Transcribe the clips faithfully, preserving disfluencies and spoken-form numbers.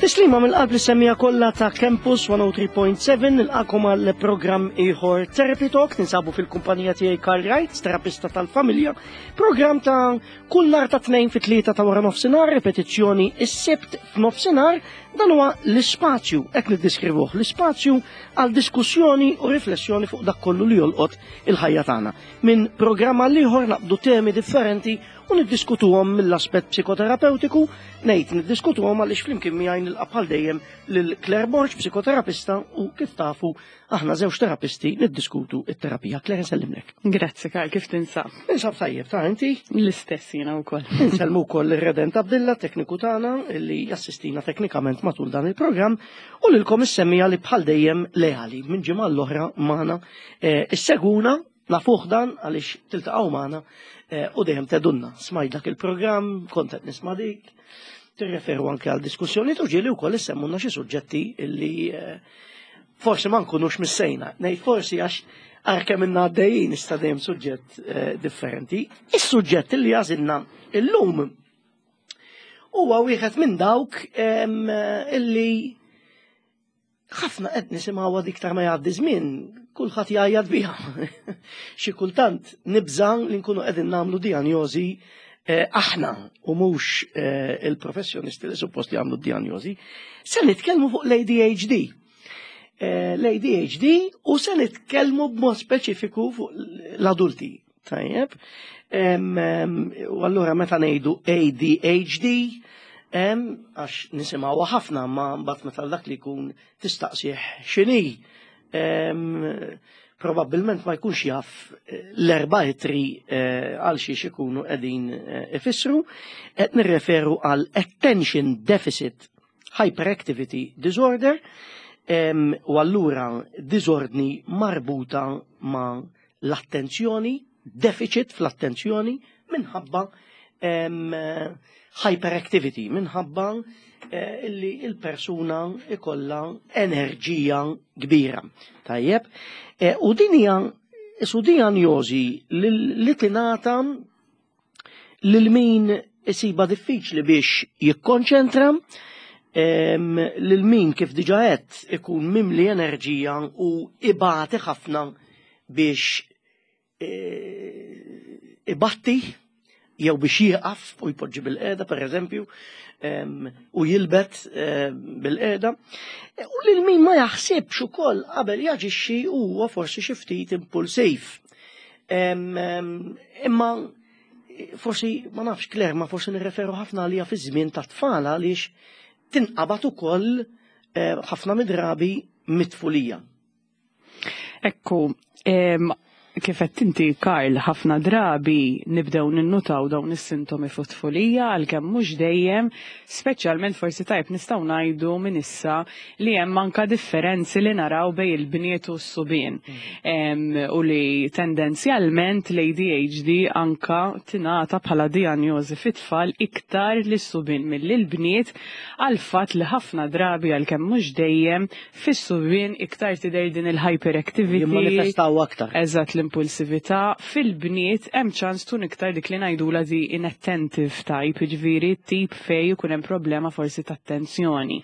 Tislima mill-qalb lis-semmiegħa kollha ta' Campus mija u tlieta punt seba', nilqagħkom għal programm ieħor Therapy Talk. Ninsabu fil-kumpanija tiegħi Karl Wright, terapista tal-familja. Programm ta' kull nhar ta' Tnejn fit tlieta ta' wara nofsinhar, ripetizzjoni is-Sibt f'nofsinhar. Dan huwa l-ispazju, hekk niddeskrivuh, l-ispazju għal diskussjoni u riflessjoni fuq dak kollu li jolqot il-ħajja tagħna. Minn programm għal ieħor naqbdu temi differenti u niddiskutuhom mill-aspett psikoterapeutiku. Ngħid niddiskutuhom għaliex flimkien miegħi nilqa' bħal dejjem lil Claire Borg, psikoterapista, u kif tafu aħna żewġ terapisti niddiskutu it-terapija. Claire, nsellimlek. Grazzi, Karl, kif tinsab? Ninsab tajjeb, ta' inti? L-istess jiena wkoll. Insellmu wkoll ir-Redent Abdilla, tekniku tagħna li jassistina teknikament matul dan il-programm, u lilkom is-semmiegħa li bħal dejjem leali minn ġimgħa l-oħra magħna eh, issegwuna. Nafuh dan għaliex tiltaqgħu magħna eh, u dejjem tgħidulna: "Smajt dak il-programm, kont qed nisma' dik", tirreferu anke għal diskussjoni u ġieli wkoll issemmulna xi suġġetti illi eh, forsi ma nkunux missejna. Ngħid forsi għax għalkemm ilna għaddejjin issa dejjem suġġett eh, differenti. Is-suġġett li għażilna illum huwa wieħed minn dawk em, illi ħafna qed nisimgħu iktar ma jgħaddi żmien, kulħadd jgħajjat biha. Xi kultant nibża' li nkunu qegħdin nagħmlu dijanjosi eh, aħna u mhux eh, il-professjonisti li suppost jagħmlu dijanjosi. Se nitkellmu fuq l-A D H D. Eh, L-A D H D u se nitkellmu b'mod speċifiku fuq l-adulti. Tajjeb. Em, em, U allura meta ngħidu A D H D, em, għax nisimgħu ħafna, ma mbagħad meta dak li jkun tistaqsih x'inhi, em, probabbilment ma jkunx jaf eh, l-erba' ittri eh, għal xiex ikunu qegħdin eh, ifissru. Qed nirreferu għal Attention Deficit Hyperactivity Disorder, em, u allura disordni marbuta ma' l-attenzjoni, deficit fl-attenzjoni minħabba em, hyperactivity, minħabba eh, illi il-persuna ikolla enerġija kbira. Tajjeb, eh, u din hija su dijanjosi li, li tingħata lil min isiba diffiċli biex jikkonċentra, em, lil min, kif diġa qed, ikun mimli enerġija u ibati ħafna biex eh, ibatti jew biex jieqaf u jpoġġi bil-qiegħda, per eżempju, em, u jilbet eh, bil-qiegħda. U lil min ma jaħsibx ukoll qabel jaġixxi, huwa forsi xi ftit impulsiv. Em, em, Imma forsi, ma nafx, Claire, ma forsi nirreferu ħafna għalija fi żmien ta' tfal għaliex tinqabad ukoll eh, ħafna mid-drabi mit-tfulija. Ekku, em, kif qed inti, Karl, ħafna drabi nibdew ninnutaw dawn is-sintomi fit-tfulija, għalkemm mhux dejjem, speċjalment forsi tajb nistgħu ngħidu minn issa li hemm anka differenzi li naraw bejn il-bniet u s-subien. Em, u li tendenzjalment l-A D H D anka tingħata bħala dijanjosi fit-tfal iktar lis-subien milli l-bniet, għal fatt li ħafna drabi, għalkemm mhux dejjem, fis-subien iktar tidher din il-hyperactivity. Jimmanifestaw aktar. Eżatt, l-impulsività. Fil-bniet hemm ċans tkun iktar dik li ngħidula di inattentive type, jiġifieri tip fej ikun hemm problema forsi ta' attenzjoni.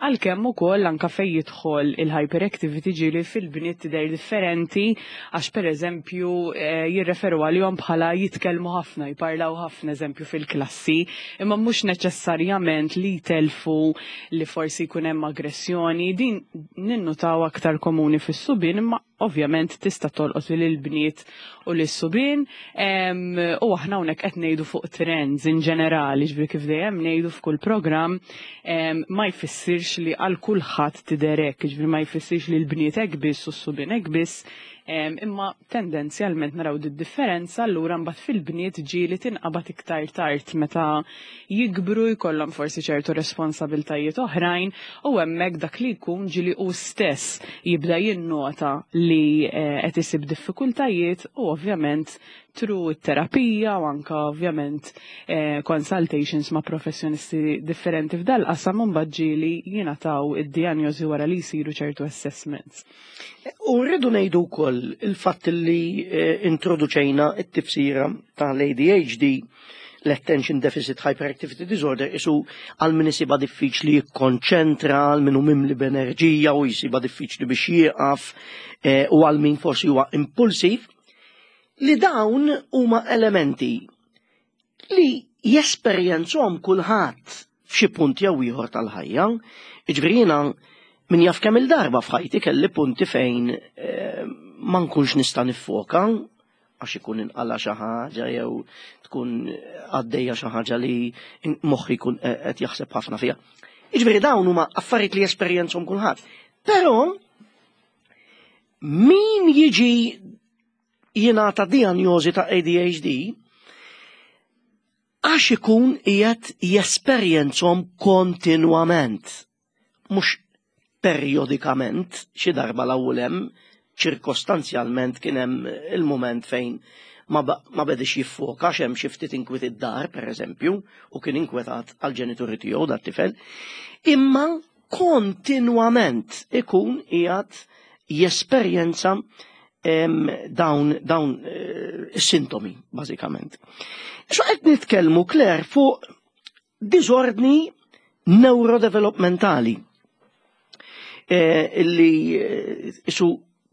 Għalkemm ukoll anka fej jidħol il-hyperactivity ġieli fil-bniet tidher differenti, għax pereżempju eh, jirreferu għalihom bħala jitkellmu ħafna, jparlaw ħafna, eżempju, fil-klassi, imma mhux neċessarjament li jtelfu, li forsi jkun hemm aggressjoni. Din ninnutaw aktar komuni fis-subien, imma ovvjament tista' tolqot lil il-bniet u lis-subien. Em, u aħna hawnhekk qed ngħidu fuq trends in ġenerali, ġifieri kif dejjem ngħidu f'kull programm, em, ma jfissirx li għal kulħadd tidher hekk, ġifieri ma jfissirx li l-bniet hekk biss u s-subien hekk biss, em, imma tendenzjalment naraw di differenza. Allura mbagħad fil-bniet ġieli tinqabad iktar tard, meta jikbru, jkollhom forsi ċertu responsabiltajiet oħrajn, u hemmhekk dak li jkun ġieli hu stess jibda jinnota li eh, qed isib diffikultajiet, u ovvjament through it-terapija u anka ovvjament eh, consultations ma' professjonisti differenti f'dal-qasam mbagħad ġieli jingħataw id-dijanjosi wara li jsiru ċertu assessments. U rridu ngħidu wkoll il-fatt li eh, introduċejna it-tifsira tal-A D H D L-Attention Deficit Hyperactivity Disorder isu għal min isibha diffiċli jikkonċentra, għal min hu mimli b'enerġija u jisibha diffiċli biex jieqaf, eh, u għal min forsi huwa impulsiv, li dawn huma elementi li jesperjenzhom kulħadd f'xi punt jew ieħor tal-ħajja. Jiġifieri jiena min jaf kemm il-darba f'ħajti kelli punti fejn eh, ma nkunx nista' niffoka għax ikun inqala xi ħaġa jew tkun għaddejja xi ħaġa li moħħi jkun qed jaħseb ħafna fiha. Jiġifieri dawn huma affarijiet li jesperjenzhom kulħadd. Però min jiġi jingħata diagnosi ta' A D H D għax ikun qiegħed jesperjenzhom kontinwament, mhux periodikament, xi darba l-ewwel hemm ċirkostanzjalment kien hemm il-moment fejn ma, ma bedix jiffoka hemm xi ftit inkwiet id-dar, per eżempju, u kien inkwetat għal-ġenituri tiegħu dat tifel, imma kontinwament ikun qiegħed jesperjenza dawn dawn eh, is-sintomi bażikament. So qed nitkellmu, Claire, fuq diżordni neurodevelopmentali eh, illi eh, isu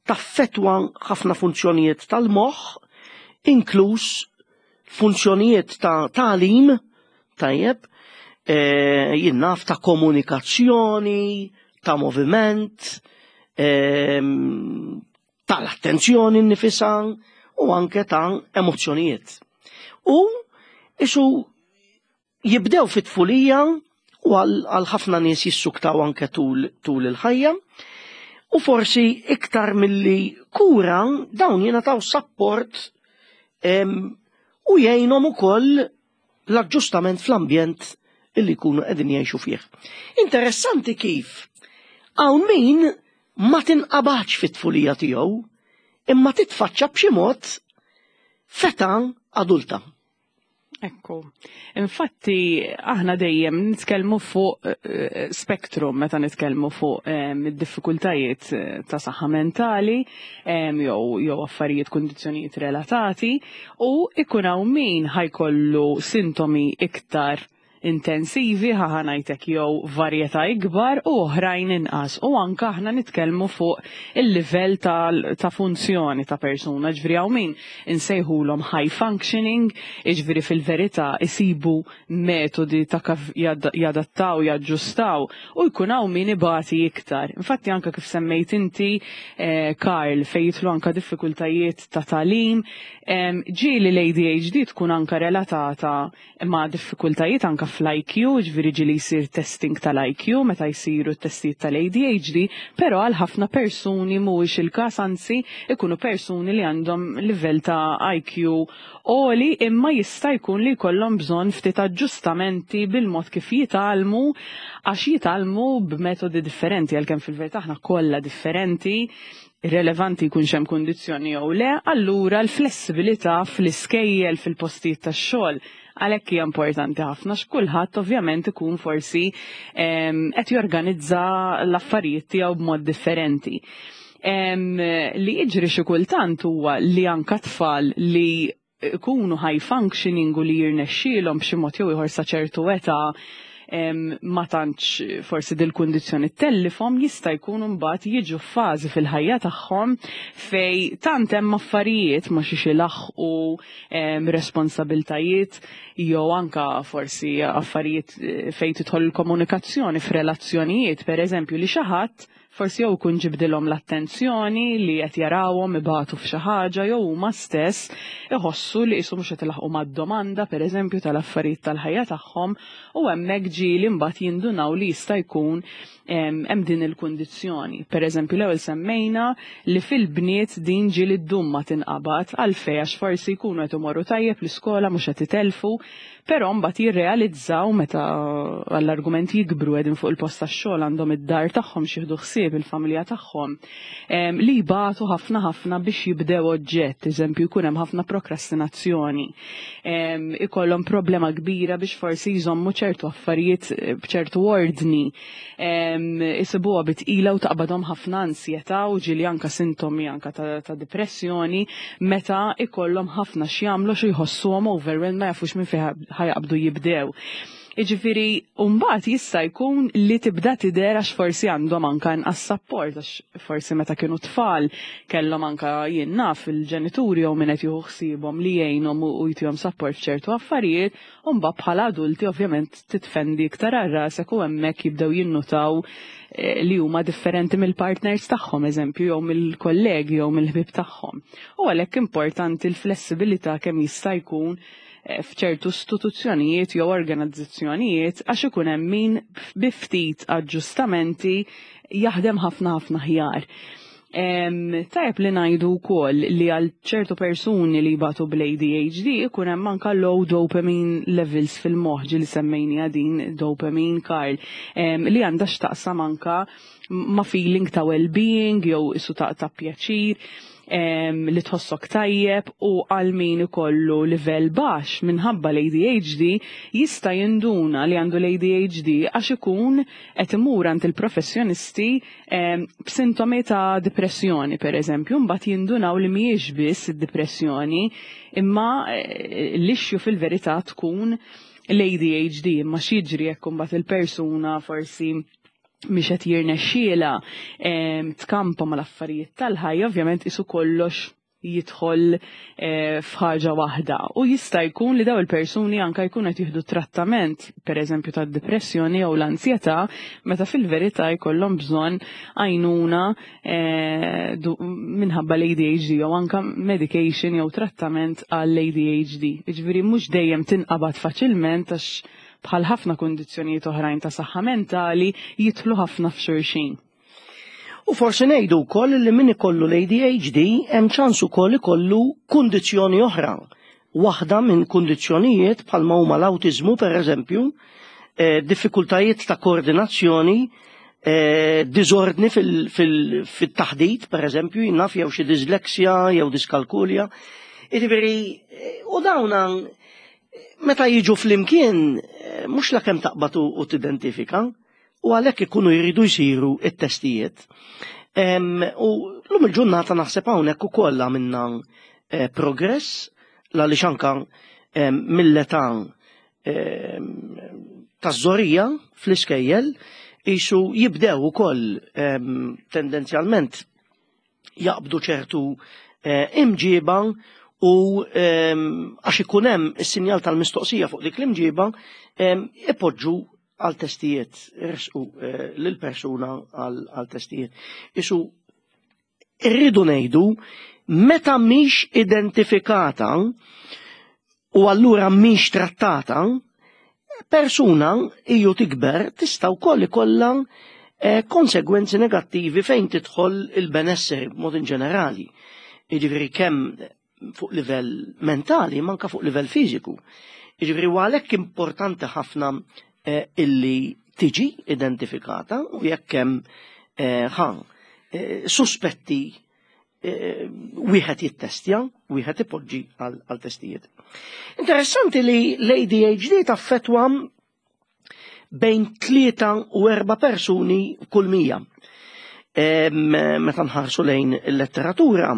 taffetwa ħafna funzjonijiet tal-moħħ, inkluż funzjonijiet ta' tagħlim, tajjeb, jien naf, ta' komunikazzjoni, ta' moviment, tal-attenzjoni nnifisha u anke ta' emozzjonijiet. U isu jibdew fit-tfulija u għal ħafna nies jissuktaw anke tul, tul il-ħajja. U forsi iktar milli kura dawn jingħataw support u jgħinhom ukoll l-aġġustament fl-ambjent illi jkunu qegħdin jgħixu fih. Interessanti kif hawn min ma tinqabax fit-tfulija tiegħu imma titfaċċa b'xi mod f'età adulta. Ekku. Infatti, aħna dejjem nitkellmu fuq eh, spektrum meta nitkellmu fuq eh, id-diffikultajiet eh, ta' saħħa mentali jew jew affarijiet, kundizzjonijiet relatati, u ikun hawn min ħa jkollu sintomi iktar intensivi, ħa ngħidlek, jew varjetà ikbar u oħrajn inqas. U anka aħna nitkellmu fuq il-livell ta' funzjoni ta' persuna, ġifieri hawn min insejħulhom high functioning, ġifieri fil-verità isibu metodi ta' kif jadattaw, jaġġustaw, u jkun hawn min ibati iktar. Infatti anka kif semmejt inti, eh, Karl, fejn jidħlu anka diffikultajiet ta' tagħlim, ġieli l-A D H D tkun anka relatata ma' diffikultajiet anka fl-I Q, ġifieri ġieli jsir testing tal-I Q meta jsiru testijiet tal-A D H D, pero għal ħafna persuni mhuwiex il-każ, anzi ikunu persuni li għandhom livell ta' I Q għoli imma jista' jkun li jkollhom bżonn ftit aġġustamenti bil-mod kif jitgħallmu, għax jitgħallmu b'metodi differenti, għalkemm fil-verità aħna kollha differenti, irrelevanti jkun hemm kundizzjoni jew le. Allura l-flessibilità fl-iskejjel, fil-postijiet tax-xogħol, għalhekk hija importanti ħafna, x'kulħadd ovvjament ikun forsi qed jorganizza l-affarijiet tiegħu b'mod differenti. Li jiġri xi kultant huwa li anka tfal li ikunu high functioning u li jirnexxielhom b'xi mod jew ieħor sa ċertu età ma tantx forsi dil-kundizzjoni tellifhom, jista' jkun mbagħad jiġu f'fażi fil-ħajja tagħhom fej tant hemm affarijiet ma xiex ilaħħqu, responsabiltajiet jew anka forsi affarijiet eh, fejn tidħol il-komunikazzjoni f'relazzjonijiet, pereżempju, li xi ħadd forsi jew ikun ġibdilhom l-attenzjoni li qed jarawhom ibatu f'xi ħaġa, jew huma stess iħossu li qisu mhux qed ilaħqu mad-domanda, pereżempju, tal-affarijiet tal-ħajja tagħhom, u hemmhekk ġieli mbagħad jindunaw li jista' jkun hemm din il-kundizzjoni. Pereżempju, l-ewwel semmejna li fil-bniet din ġieli ddum ma tinqabad. Għalfejn? Għax forsi jkunu qed imorru tajjeb l-iskola, mhux qed itelfu, però mbagħad jirrealizzaw meta għall-argument jikbru, qegħdin fuq il-post tax-xogħol, għandhom id-dar tagħhom x'jieħdu ħsieb il-familja tagħhom, li jbatu ħafna ħafna biex jibdew oġġett, eżempju, jkun hemm ħafna prokrastinazzjoni. Ikollhom problema kbira biex forsi jżommu ċertu affarijiet eh, b'ċertu ordni. Isibuha bi tqila u taqbadhom ħafna ansjetà u ġieli anka sintomi anka ta', ta depressjoni meta ikollhom ħafna x'jagħmlu, xi jħossuhom overwhelmed, ma jafux minn fejn ħa jaqbdu jibdew. Iġifiri, mbagħad jista' jkun li tibda tidher għax forsi għandhom anka inqas support, għax forsi meta kienu tfal kellhom anka, jien naf, il-ġenituri jew min qed jieħu ħsiebhom li jgħinhom u jtihom support f'ċertu affarijiet, u mbagħad bħala adulti ovvjament titfendi iktar għal rasek u hemmhekk jibdew jinnutaw eh, li huma differenti mill-partners tagħhom, eżempju, jew mill-kollegi jew mill-ħbieb tagħhom. U għalhekk importanti l-flessibilità kemm jista' jkun eh, f'ċertu istituzzjonijiet jew organizzazzjonijiet, għax ikun hemm min bi ftit aġġustamenti jaħdem ħafna ħafna aħjar. Tajjeb li ngħidu wkoll li għal ċertu persuni li jbatu bl-A D H D ikun hemm anka low dopamine levels fil-moħħ, li semmejni din dopamine, Karl, li għandha x'taqsam anka ma' feeling ta' well-being jew isu ta' ta' pjaċir li tħossok tajjeb, u għal min ikollu livell baxx minħabba l-A D H D jista' jinduna li għandu l-A D H D għax ikun qed imur għand il-professjonisti b'sintomi ta' depressjoni, per eżempju, mbagħad jindunaw li mhijiex biss id-depressjoni, imma eh, l-issue fil-verità tkun l-A D H D. Imma x'jiġri jekk imbagħad il-persuna forsi mhix qed jirnexxiela tkampa mal-affarijiet tal-ħajja, ovvjament isu kollox jidħol eh, f'ħaġa waħda. U jista' jkun li daw il-persuni anka jkunu qed jieħdu trattament, pereżempju tad-depressjoni jew l-ansjetà, meta fil-verità jkollhom bżonn għajnuna eh, minħabba l-A D H D jew anka medication jew trattament għall-A D H D. Jiġifieri mhux dejjem tinqabad faċilment, għax bħal ħafna kundizzjonijiet oħrajn ta' saħħa mentali jidħlu ħafna f'xulxin. U forsi ngħidu wkoll li min ikollu l-A D H D hemm ċans ukoll ikollu kundizzjoni oħra. Waħda minn kundizzjonijiet bħalma huma l-awtiżmu, pereżempju, eh, diffikultajiet ta' koordinazzjoni, eh, diżordni fil-taħdit, pereżempju, naf, jew xi disleksja jew diskalkulja. Jiġifieri, eh, u dawna meta jiġu flimkien, eh, mhux la kemm taqbad u tidentifika, u għalhekk ikunu jridu jsiru it-testijiet. U l-lum il-ġurnata naħseb hawnhekk ukoll għamilna eh, progress għaliex anka mill-età taż-żgħorija fl-iskejjel jisu jibdew ukoll tendenzjalment jaqbdu ċertu eh, imġiba u għax ikun hemm is-sinjal tal-mistoqsija fuq dik l-imġiba, ipoġġu għal testijiet, resqu eh, lil-persuna għal testijiet. Isu irridu ngħidu, meta mhix identifikata u allura mhix trattata, persuna iju tikber tista' wkoll ikollha eh, konsegwenzi negattivi fejn tidħol il-benesseri b'mod in ġenerali. Jiġifieri kemm fuq livell mentali, manka fuq livell fiżiku. Jiġifieri għalhekk importanti ħafna eh, illi tiġi identifikata u jekk hemm eh, ħa suspetti, wieħed jittestja, wieħed ipoġġi għal testijiet. Interessanti li l-A D H D taffetwa bejn tlieta u erba' persuni kull mija. Meta nħarsu lejn il-letteratura,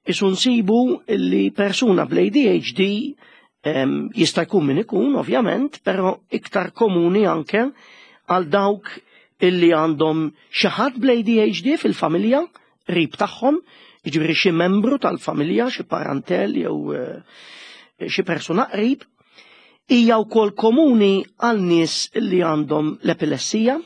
isu nsibu li persuna bl-A D H D jista' jkun min ikun, ovvjament, però iktar komuni anke għal dawk illi għandhom xi ħadd bl-A D H D fil-familja, qrib tagħhom, jiġifieri xi membru tal-familja, xi parentel jew eh, xi persuna qrib, hija wkoll komuni għal nies li għandhom l-epilessija,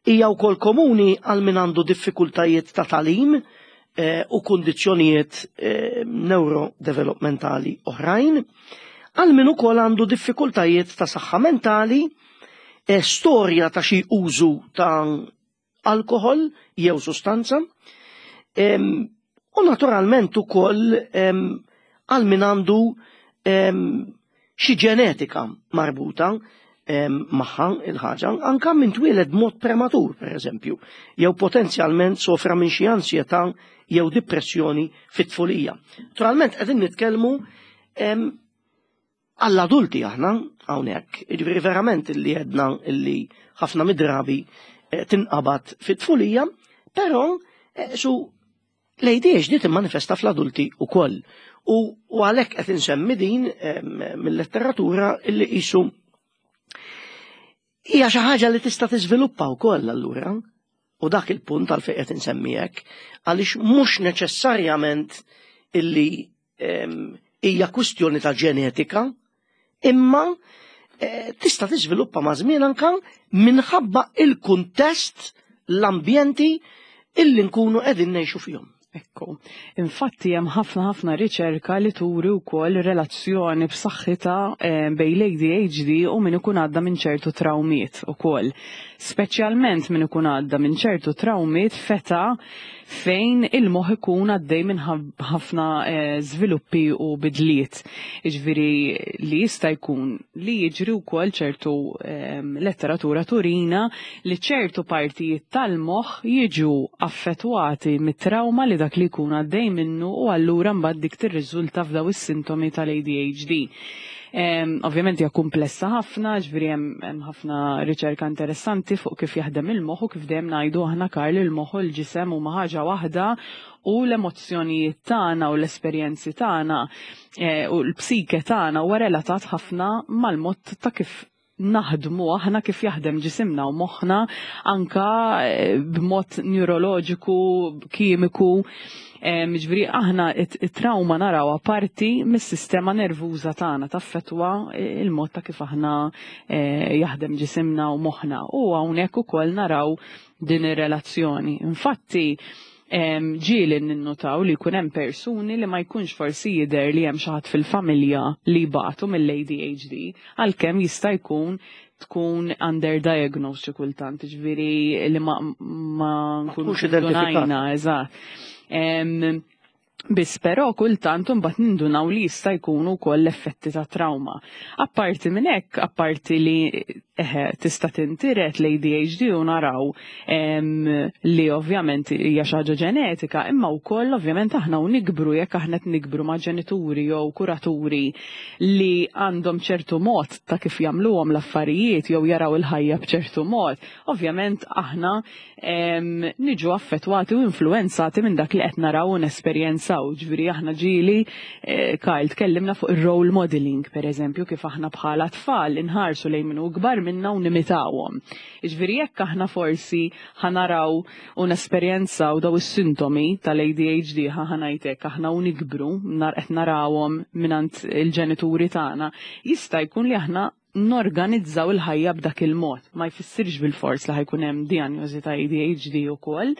hija wkoll komuni għal min għandu diffikultajiet ta' tagħlim eh, u kundizzjonijiet eh, neurodevelopmentali oħrajn, għal min ukoll għandu diffikultajiet ta' saħħa mentali, eh, storja ta' xi użu ta' alkohol jew sustanza, em, u naturalment ukoll em, għal min għandu em, xi ġenetika marbuta em, magħha il-ħaġa, anka min twieled mod prematur, per eżempju, jew potenzjalment sofra minn xi ansjetà jew depressjoni fit-tfulija. Naturalment qegħdin nitkellmu em, għall-adulti aħna hawnhekk, jiġifieri verament illi għedna illi ħafna mid-drabi eh, tinqabad fit-tfulija, però eh, su L-A D H D timmanifesta fl-adulti ukoll. U, u għalhekk qed insemmi din mill-letteratura illi qisu hija xi ħaġa li tista' tiżviluppa wkoll allura. U dak il-punt għal fejn qed insemmi hekk, għaliex mhux neċessarjament illi hija kwistjoni ta' ġenetika, imma eh, tista' tiżviluppa ma' żmien anka minħabba il-kuntest, l-ambjenti illi nkunu qegħdin ngħixu fihom. Ekku. Infatti hemm ħafna ħafna riċerka li turi wkoll relazzjoni b'saħħitha eh, bejn l-A D H D u min ikun għadda minn ċertu trawmiet ukoll. Speċjalment min ikun għadda minn ċertu trawmiet f'età fejn il-moħħ ikun għaddej minn ħafna eh, żviluppi u bidliet. Jiġifieri li jista' jkun li jiġri wkoll, ċertu ehm, letteratura turina li ċertu partijiet tal-moħħ jiġu affettwati mit-trauma li dak li jkun għaddej minnu u allura mbagħad dik tirriżulta f'daw is-sintomi tal-A D H D. Um, ovvjament hija komplessa ħafna, ġifieri hemm ħafna riċerka interessanti fuq kif jaħdem il-moħħ u kif dejjem ngħidu aħna, Karl, il-moħħ u l-ġisem huma ħaġa waħda u l-emozzjonijiet tagħna u l-esperjenzi tagħna eh, u l-psike tagħna huwa relatat ħafna mal-mod ta' kif naħdmu aħna, kif jaħdem ġisimna u moħħna anka eh, b'mod neuroloġiku, kimiku. Ġifieri aħna it-trauma narawha parti mis-sistema nervuża tagħna, taffetwa il-mod ta' kif aħna eh, jaħdem ġisimna u moħħna. U hawnhekk ukoll naraw din ir-relazzjoni. Infatti, ġieli ninnotaw li jkun hemm persuni li ma jkunx forsi jidher li hemm xi ħadd fil-familja li batu mill-A D H D, għalkemm jista' jkun tkun underdiagnosed xi kultant, ġifieri li ma ma nkunux identifikata. Eżatt. Biss però kultant imbagħad nindunaw li jista' jkunu wkoll l-effetti ta' trauma. Apparti minn hekk, apparti li eħe, tista' tintiret l-A D H D u naraw em, li ovvjament hija xi ħaġa ġenetika, imma wkoll ovvjament aħna u nikbru, jekk aħna qed nikbru ma' ġenituri jew kuraturi li għandhom ċertu mod ta' kif jagħmluhom l-affarijiet jew jaraw il-ħajja b'ċertu mod, ovvjament aħna em, niġu affettwati u influenzati minn dak li qed naraw u nesperjenzaw. Ġifieri aħna ġieli, eh, Kyle, tkellimna fuq ir-role modeling, per eżempju, kif aħna bħala tfal inħarsu lejn min hu kbar minna u nimitawhom. Ġifieri jekk aħna forsi ħa naraw u nesperjenzaw daw is-sintomi tal-A D H D, ħa ngħidlek, aħna u nikbru nar qed narawhom mingħand il-ġenituri tagħna, jista' jkun li aħna norganizzaw il-ħajja b'dak il-mod. Ma jfissirx bil-fors li ħa jkun hemm diagnosi ta' A D H D ukoll.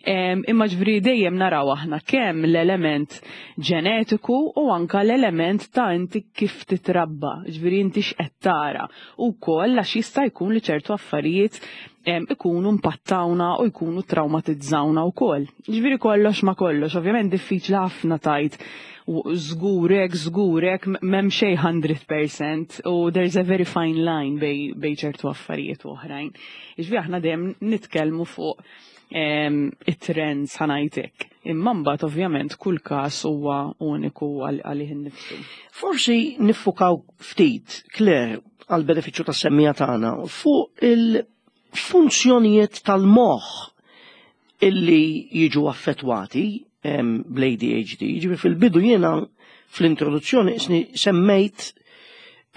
Em, Imma ġifieri dejjem naraw aħna kemm l-element ġenetiku u anka l-element ta' inti kif titrabba, ġifieri inti x'qed tara. U wkoll għax jista' jkun li ċertu affarijiet em, ikunu impattawna u jkunu traumatizzawna wkoll. Ġifieri kollox ma kollox, ovvjament diffiċli ħafna tgħid u żgurek, żgurek, m'hemm xejn mija fil-mija u there's a very fine line bejn, bejn ċertu affarijiet u oħrajn. Ġifieri aħna dejjem nitkellmu fuq em, it-trends, ħa ngħidlek. Imma mbagħad ovvjament kull każ huwa uniku għal- għalih innifsu. Forsi niffukaw ftit, Claire, għal benefiċċju tas-semmiegħa tagħna fuq il-funzjonijiet tal-moħħ illi jiġu affettwati em, bl-A D H D. Ġifieri fil-bidu jiena fl-introduzzjoni isni semmejt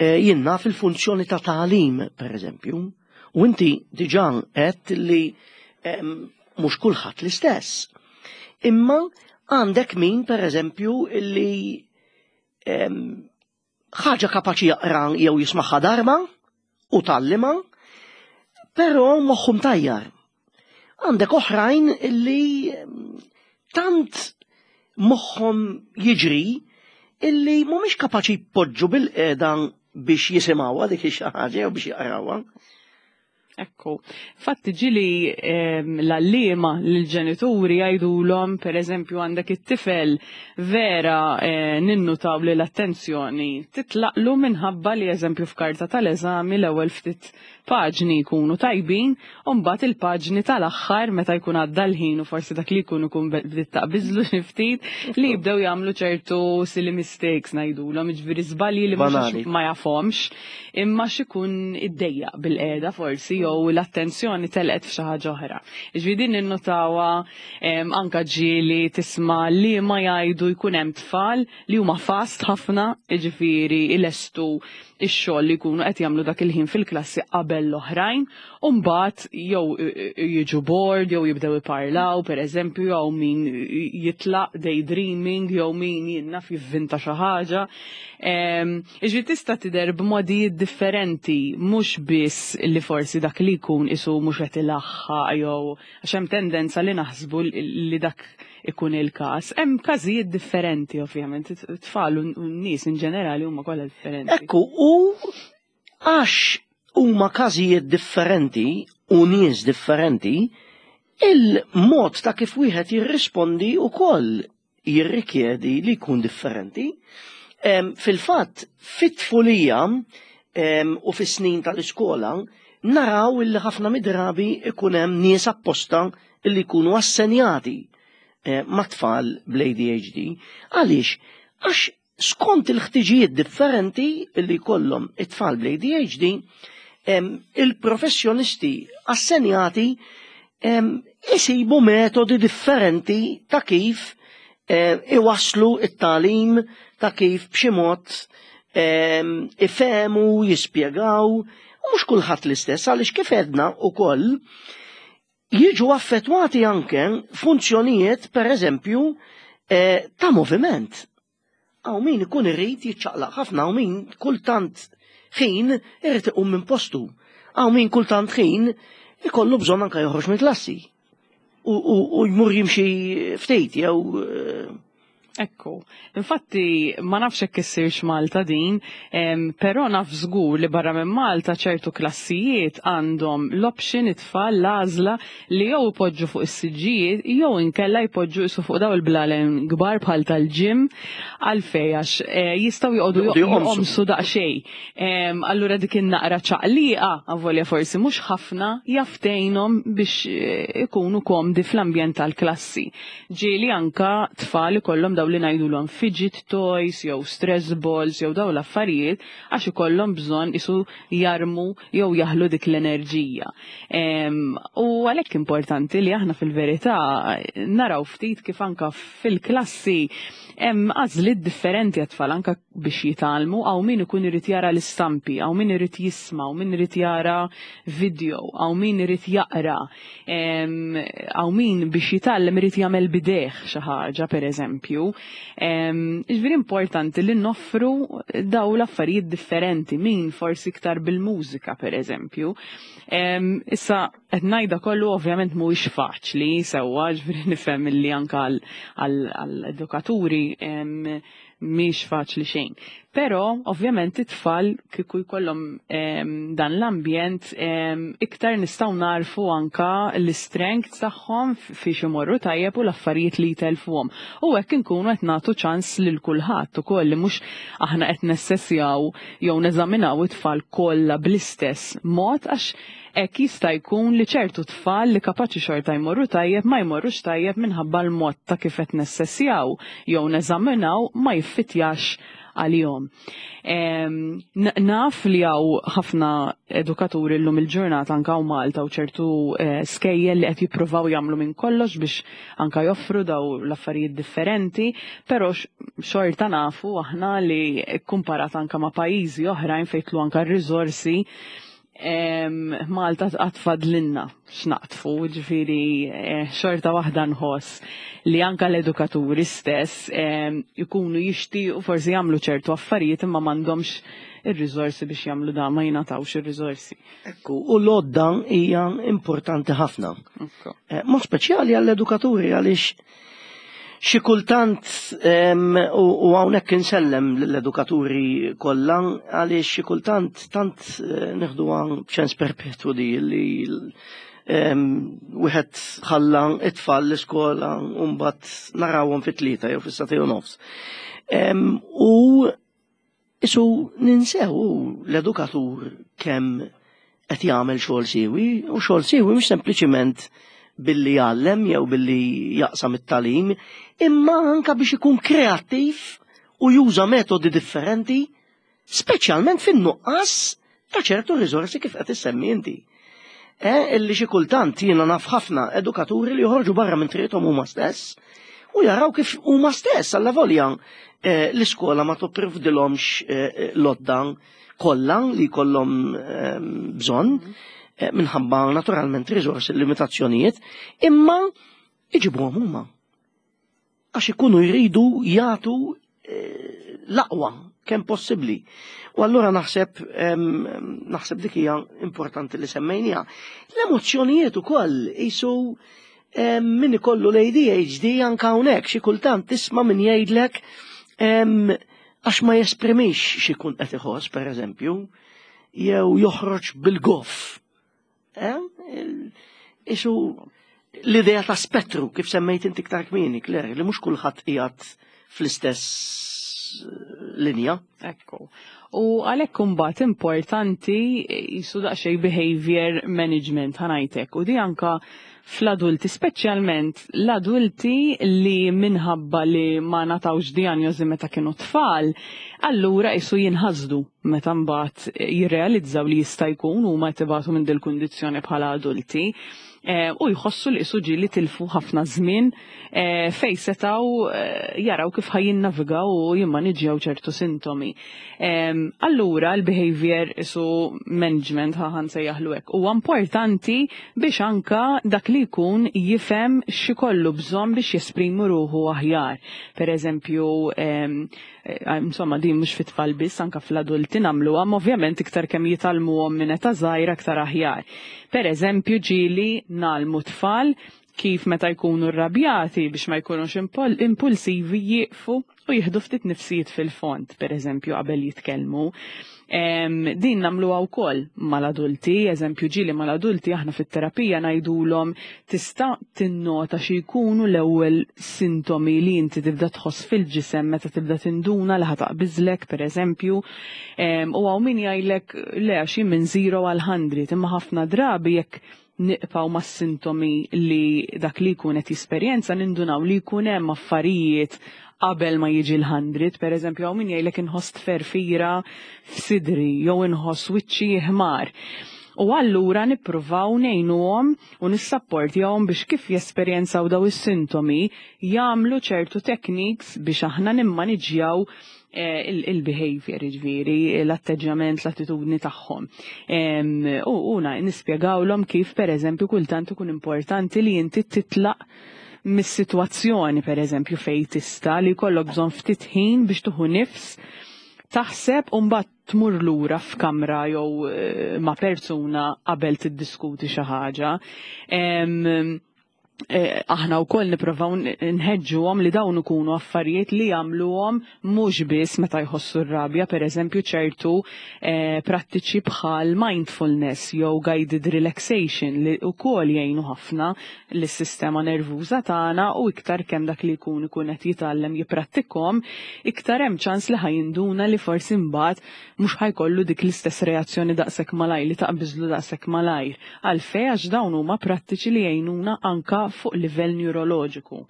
eh, jiena fil-funzjoni ta' tagħlim, per eżempju, u inti diġà għedt li em, mhux kulħadd l-istess. Imma għandek min, per eżempju, illi em, ħaġa kapaċi jaqra jew jismaħħa darba u tgħallimha, però moħħu mtajjar. Għandek oħrajn illi em, tant moħħhom jiġri illi mhumiex kapaċi jpoġġu bil-qiegħda biex jisimgħuha dik xi ħaġa jew biex jaqrawha. Ekku, fatti ġieli em, l-għalliema l-ġenituri jgħidulhom, per eżempju, għandek it-tifel vera eh, ninnutaw li l-attenzjoni titlaqlu minħabba li, eżempju, f'karta tal-eżami l-ewwel ftit paġni jkunu tajbin u mbagħad il-paġni tal-aħħar, meta jkun għadda l-ħin u forsi dak li jkun ikun bdiet taqbiżlu xi ftit, li jibdew jagħmlu ċertu silly mistakes ngħidulhom, jiġifieri żbalji li mhux Banali. ma jafhomx imma x'ikun iddejjaq bil-qiegħda forsi. jew l-attenzjoni telqet f'xi ħaġa oħra. Ġifieri din ninnotawha anka ġieli tisma' li ma jgħidu jkun hemm tfal li huma fast ħafna, jiġifieri ilestu ix-xogħol li jkunu qed jagħmlu dak il-ħin fil-klassi qabel l-oħrajn, u mbagħad jew jiġu bored jew jibdew iparlaw, pereżempju, jew min jitlaq daydreaming, jew min jien naf jivvinta xi ħaġa. Jiġifieri tista' tidher b'modijiet differenti, mhux biss li forsi dak li jkun isu mhux qed ilaħħaq jew għax hemm tendenza li naħsbu li dak ikun il-każ. Hemm każijiet differenti ovvjament, it-tfal u n-nies in ġenerali huma kollha differenti. Ekku, u għax huma każijiet differenti u nies differenti, il-mod ta' kif wieħed jirrispondi wkoll jirrikjedi li jkun differenti. Fil-fatt, fit-tfulija u fis-snin tal-iskola, naraw illi ħafna mid-drabi ikun hemm nies apposta illi jkunu assenjati ma' tfal bl-A D H D. Għaliex? Għax skont il-ħtiġijiet differenti illi jkollhom it-tfal bl-A D H D, il-professjonisti assenjati isibu metodi differenti ta' kif iwaslu it-tagħlim, ta' kif b'xi mod ifehmu, jispjegaw, u mhux kulħadd l-istess, għaliex kif għedna wkoll jiġu affettwati anke funzjonijiet, per eżempju, ta' moviment. Hawn min ikun irid jiċċaqlaq ħafna, hawn min kultant ħin irid iqum minn postu. Hawn min kultant ħin ikollu bżonn anke joħroġ minn klassi. U jmur jimxi ftit jew Ekku, infatti ma nafx hekk issirx Malta din, però naf żgur li barra minn Malta ċertu klassijiet għandhom l-option it-tfal l-għażla li jew ipoġġu fuq is-siġġijiet jew inkella jpoġġu isu fuq daw il-blalen kbar bħal tal-gym, għalfej għax jistgħu joqogħdu joqomsu daqsxejn. Allura dik in-naqra ċaqliqa, avolja forsi mhux ħafna, jaf tgħinhom biex ikunu komdi fl-ambjent tal-klassi. Ġieli anka tfal ikollhom daw li ngħidulhom fidget toys jew stress balls jew daw l-affarijiet għax ikollhom bżonn isu jarmu jew jaħlu dik l-enerġija. U għalhekk importanti li aħna fil-verità naraw ftit kif anka fil-klassi hemm għażliet differenti għat-tfal anka biex jitgħallmu, hawn min ikun irid jara l-istampi, hawn min irid jisma', hawn min irid jara video, hawn min irid jaqra, hawn min biex jitgħallem irid jagħmel bidejh xi ħaġa pereżempju. Ġifieri importanti li noffru daw l-affarijiet differenti, min forsi iktar bil-mużika pereżempju. Issa qed ngħidha kollu ovvjament mhuwiex faċli sewwa, ġifieri nifhem li anke għall-edukaturi mhix faċli xejn. Però ovvjament it-tfal kieku jkollhom dan l-ambjent iktar nistgħu narfu anka l-strength tagħhom fiex imorru tajjeb u l-affarijiet li jtelfuhom. U hekk inkunu qed nagħtu ċans lil kulħadd ukoll li mhux aħna qed nessessjaw jew neżaminaw it-tfal kollha bl-istess mod, għax hekk jista' jkun li ċertu tfal li kapaċi xorta jmorru tajjeb ma jmorrux tajjeb minħabba l-mod ta' kif qed nessessjaw jew neżaminaw ma jiffitjax għalihom. Naf li hawn ħafna edukaturi llum il-ġurnata anka hawn Malta u ċertu skejjel li qed jippruvaw jagħmlu minn kollox biex anka joffru daw l-affarijiet differenti, però xorta nafu aħna li kkumparat anka ma' pajjiżi oħrajn fejn tlu anka r-riżorsi, Malta tqatfadlinna x'naqtfu, ġifieri xorta waħda nħoss li anka l-edukaturi stess ikunu jixtiequ forsi jagħmlu ċertu affarijiet imma m'għandhomx ir-riżorsi biex jagħmlu dan, ma jingħatawx ir-riżorsi. Ekku, u l-għodda hija importanti ħafna. Mod speċjali għall-edukaturi, għaliex xi kultant, u hawnhekk insellem lill-edukaturi kollha, għaliex xi kultant tant nieħduha b'ċens perpetwu di li wieħed ħalla it-tfal l-iskola u mbagħad narawhom fit-tlieta jew fis-sagħtejn u nofs. U isu ninsew l-edukatur kemm qed jagħmel xogħol siewi, u xogħol siewi mhux sempliċiment billi jgħallem jew billi jaqsam it-tagħlim, imma anka biex ikun kreattiv u juża metodi differenti, speċjalment fin-nuqqas ta' ċertu riżorsi kif qed issemmi inti. Eh, illi xi kultant jiena naf ħafna edukaturi li joħorġu barra minn triqthom huma stess u jaraw kif huma stess allavolja eh, l-iskola ma tipprovdilhomx eh, l-għodda kollha li jkollhom eh, bżonn eh, minħabba naturalment riżorsi, limitazzjonijiet, imma iġibuhom huma. Għax ikunu jridu jagħtu eh, l-aqwa kemm possibbli. U allura naħseb em, naħseb dik hija importanti li semmejniha. L-emozzjonijiet ukoll qisu em, min ikollu l-A D H D anka hawnhekk xi kultant tisma' min jgħidlek em, għax ma jesprimix x'ikun qed iħoss, pereżempju, jew joħroġ bil-goff. Eh? Il- Qisu l-idea ta' spettru kif semmejt inti iktar kmieni, Claire, li mhux kulħadd qiegħed fl-istess eh, linja. Ekku. U għalhekk imbagħad importanti qisu daqsxejn behavior management, ħa ngħidlek. U di anka fl-adulti, speċjalment l-adulti li minħabba li ma ngħatawx dijanjosi meta kienu tfal, allura qisu jinħasdu meta mbagħad jirrealizzaw li jista' jkun huma jtibatu minn dil-kundizzjoni bħala adulti. Eh, u jħossu li qisu ġieli tilfu ħafna żmien eh, fej setaw eh, jaraw kif ħa jinnavigaw u jimmaniġjaw ċertu sintomi. Em, Allura l-behavior qisu management, ħa nsejjaħlu hekk, huwa importanti biex anka dak li jkun jifhem x'ikollu bżonn biex jesprimi ruħu aħjar. Per eżempju, em, eh, insomma, din mhux fit-tfal biss, anka fl-adulti nagħmluha, ma ovvjament iktar kemm jitgħallmuhom minn età żgħira aktar aħjar. Per eżempju, ġieli ngħallmu tfal kif meta jkunu rrabjati, biex ma jkunux impul- impulsivi, jieqfu u jieħdu ftit nifsijiet fil-fond, per eżempju, qabel jitkellmu. Em, din nagħmluha wkoll mal-adulti, eżempju, ġieli mal-adulti aħna fit-terapija ngħidulhom: tista' tinnota xi jkunu l-ewwel sintomi li inti tibda tħoss fil-ġisem meta tibda tinduna li ħa taqbiżlek, per eżempju? Em, u hawn min jgħidlek le, għax jien minn zero għal mija, imma ħafna drabi jekk nibqgħu ma' sintomi li dak li jkun qed jesperjenza, nindunaw li jkun hemm affarijiet qabel ma jiġi l-mija. Per eżempju, hawn min jgħidlek inħoss tferfira f'sidri jew inħoss wiċċi ħmar. U allura nippruvaw ngħinuhom u nissapportjahom biex kif jesperjenzaw daw is-sintomi jagħmlu ċertu techniques biex aħna nimmaniġjaw eh, il-behavior, ġifieri, l-atteġġjament, l-attitudni tagħhom. Em, U u na- nispjegawlhom kif, per eżempju, kultant ikun importanti li inti titlaq mis-sitwazzjoni, per eżempju, fej tista' li jkollok bżonn ftit ħin biex tieħu nifs, taħseb u mbagħad tmur lura f'kamra jew eh, ma' persuna qabel tiddiskuti xi ħaġa. Em, eh, aħna wkoll nipprovaw nħeġġuhom li dawn ikunu affarijiet li jagħmluhom mhux biss meta jħossu r-rabja, per eżempju, ċertu eh, prattiċi bħal mindfulness jew guided relaxation li wkoll jgħinu ħafna lis-sistema nervuża tagħna, u iktar kemm dak li jkun ikun qed jitgħallem jipprattikhom, iktar hemm ċans li ħa jinduna li forsi mbagħad mhux ħa jkollu dik l-istess reazzjoni daqshekk malajr, li taqbiżlu daqshekk malajr. Għalfejn? Għax dawn huma prattiċi li jgħinuna anka fuq livell neuroloġiku.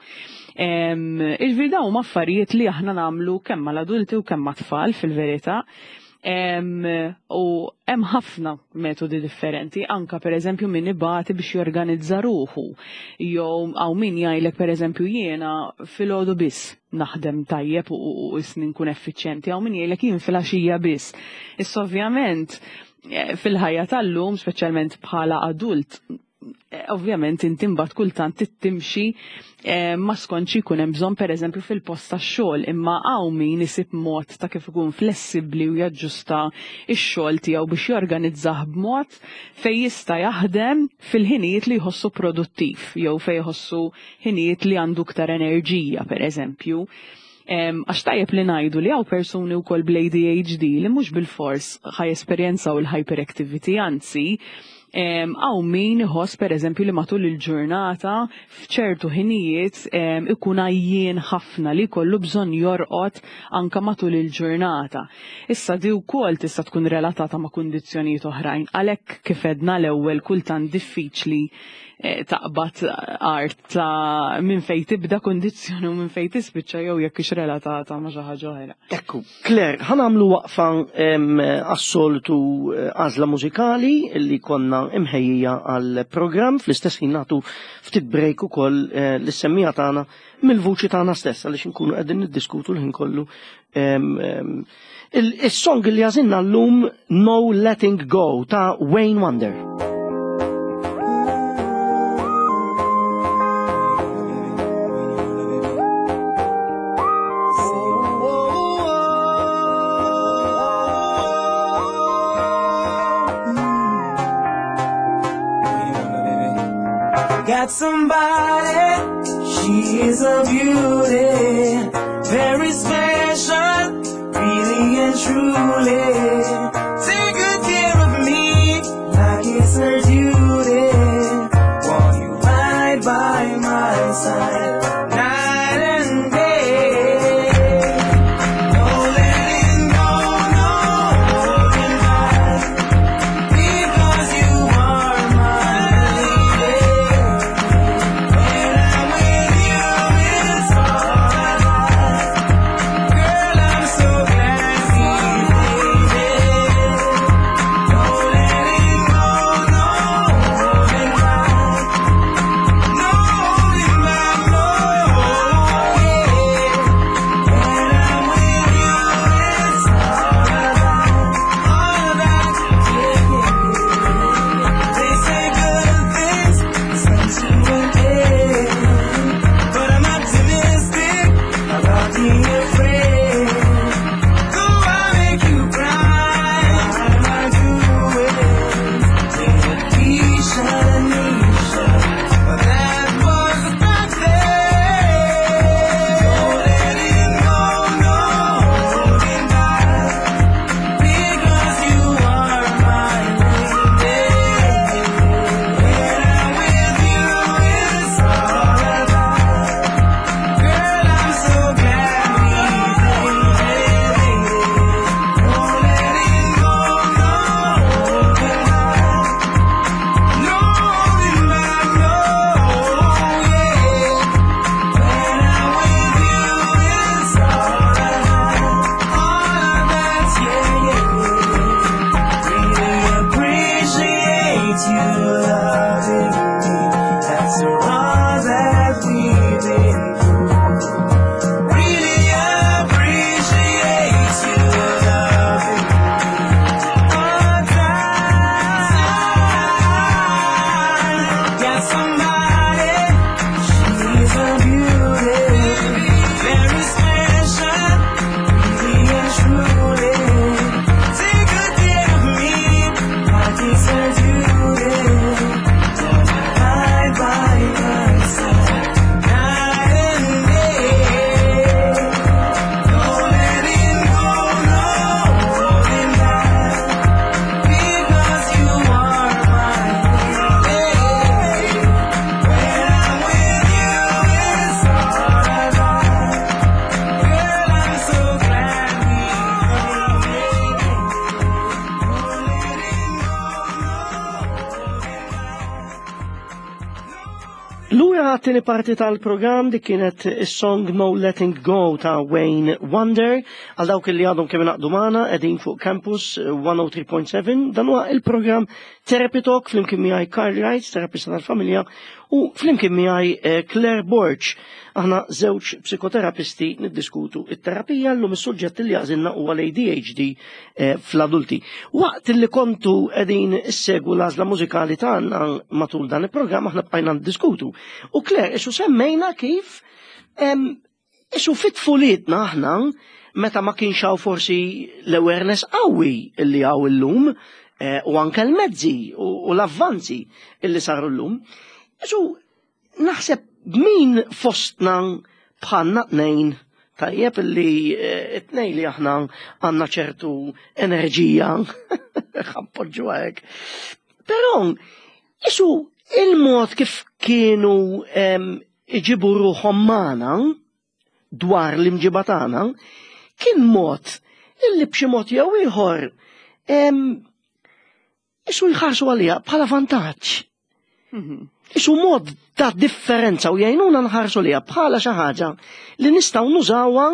Ġifieri dawn huma affarijiet li aħna nagħmlu kemm mal-adulti u kemm mat-tfal fil-verità. Em, u hemm ħafna metodi differenti, anka per eżempju min ibati biex jorganizza ruħu. Jew hawn min jgħidlek, per eżempju, jiena filgħodu biss naħdem tajjeb u, u, u isni nkun effiċjenti, hawn min jgħidlek jien filgħaxija biss. Issa ovvjament eh, fil-ħajja tal-lum, speċjalment bħala adult, eh, ovvjament inti mbagħad kultant timxi eh, ma skontx jkun hemm bżonn, pereżempju, fil-post tax-xogħol, imma hawn min isib mod ta' kif ikun flessibbli u jaġġusta x-xogħol tiegħu biex jorganizzah b'mod fejn jista' jaħdem fil-ħinijiet li jħossu produttiv jew fejn jħossu ħinijiet li għandu iktar enerġija, pereżempju. Em, Għax tajjeb li ngħidu li hawn persuni wkoll bl-A D H D li mhux bil-fors ħa jesperjenzaw il-hyperactivity, anzi, em, hawn min iħoss, per eżempju, li matul il-ġurnata f'ċertu ħinijiet em, ikun għajjien ħafna li jkollu bżonn jorqod anka matul il-ġurnata. Issa di wkoll tista' tkun relatata ma' kundizzjonijiet oħrajn, għalhekk kif għedna l-ewwel kultant diffiċli eh, taqbad art ta' minn fejn tibda kundizzjoni u minn fejn tispiċċa jew jekk hix relatata ma' xi ħaġa oħra. Ekku, Claire, ħa nagħmlu waqfa em, għas-soltu eh, għażla mużikali li konna imħejjija għal programm fl-istess ħin nagħtu ftit break ukoll eh, lis-semmiegħa tagħna mill-vuċi tagħna stess għaliex inkunu qegħdin niddiskutu l-ħin kollu. Is-song li għażilna llum No Letting Go ta' Wayne Wonder. Got somebody, she is a beauty, very special, really and truly. Take good care of me, like it's her duty. Want you right by my side, night and day. No letting go, no holding back, because you are my lady. When I'm with you, it's all I got. Girl, I'm so glad we made it. No letting go, no holding back, no holding back, no. Yeah. When I'm with you, it's all I got, all I got. Yeah, yeah, yeah. They say good things come to an end, but I'm optimistic about being afraid. Though I make you cry, I do it. Keisha, Nisha, but that was back then. No letting go, no holding back, because you are my lady. When I'm with you, it's all I got. Girl, I'm so glad we made it. No letting go, no holding back, no holding back, no, yeah. When I'm with you, it's all I got, all I got, yeah, yeah, yeah. Really appreciate you loving me after all that we've been through. Really appreciate you loving me all time. Got somebody, she's a beauty, very special, really and truly. Take good care of me, like it's her duty. Right by my side, night and day. No letting go, no holding back, because you are my lady. When I'm with you, it's all I got. Girl, I'm so glad we made it. No letting go, no holding back. Lura għat-tieni parti tal-programm dik kienet is-song No Letting Go ta' Wayne Wonder. Għal dawk li għadhom kemm ingħaqdu magħna qegħdin fuq Campus one oh three point seven. Dan huwa il-programm Therapy Talk flimkien miegħi Carl Wright, terapista tal-familja, u flimkien miegħi eh, Claire Borg. Aħna żewġ psikoterapisti niddiskutu it-terapija. Llum is-suġġett li għażilna huwa l-A D H D eh, fl-adulti. Waqt li kontu qegħdin issegwu l-għażla mużikali tagħna matul dan il-programm aħna bqajna niddiskutu. U Claire, isu semmejna kif em, isu fit-tfulitna aħna meta ma kienx hawn forsi l-awareness qawwi illi hawn illum eh, u anke l-mezzi u, u l-avvanzi illi saru llum. Isu naħseb min fostna bħalna tnejn tajjeb illi eh, it-tnejn li aħna għandna ċertu enerġija ħa npoġġu hekk. Però isu il-mod kif kienu em, iġibu ruħhom magħna dwar l-imġiba tagħna kien mod illi b'xi mod jew ieħor em, isu jħarsu għalija bħala vantaġġ. Mhm. Isu mod ta' differenza u jgħinuna nħarsu liha bħala xi ħaġa li nistgħu nużawha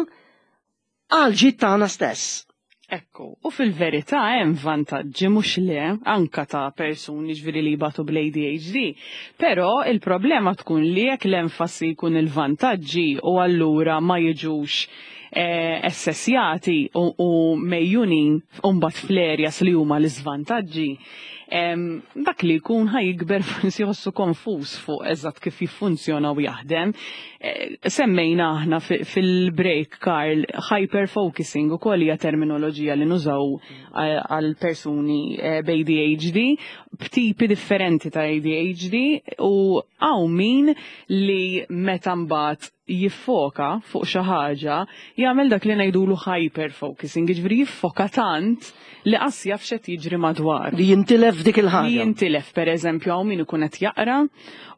għal ġid tagħna stess. Ekku, u fil-verità hemm vantaġġi, mhux le, anka ta' persuni ġifieri li jbatu bl-A D H D. Però il-problema tkun li jekk l-enfasi jkun il-vantaġġi u allura ma jiġux eh, assessjati u, u mejjunin mbagħad fl-areas li huma l-iżvantaġġi, em, dak li jkun ħa jikber forsi jħossu konfus fuq eżatt kif jiffunzjona u jaħdem. Eh, Semmejna aħna fi- fil-break, Karl, hyperfocusing ukoll hija terminoloġija li nużaw eh, għal persuni eh, b'A D H D, b'tipi differenti ta' A D H D, u hawn min li meta mbagħad jiffoka fuq xi ħaġa jagħmel dak li ngħidulu hyperfocusing, jiġifieri jiffoka tant li qas jaf x'qed jiġri madwar. Li jintilef dik Li il-ħaġa. jintilef, per eżempju, hawn min ikun qed jaqra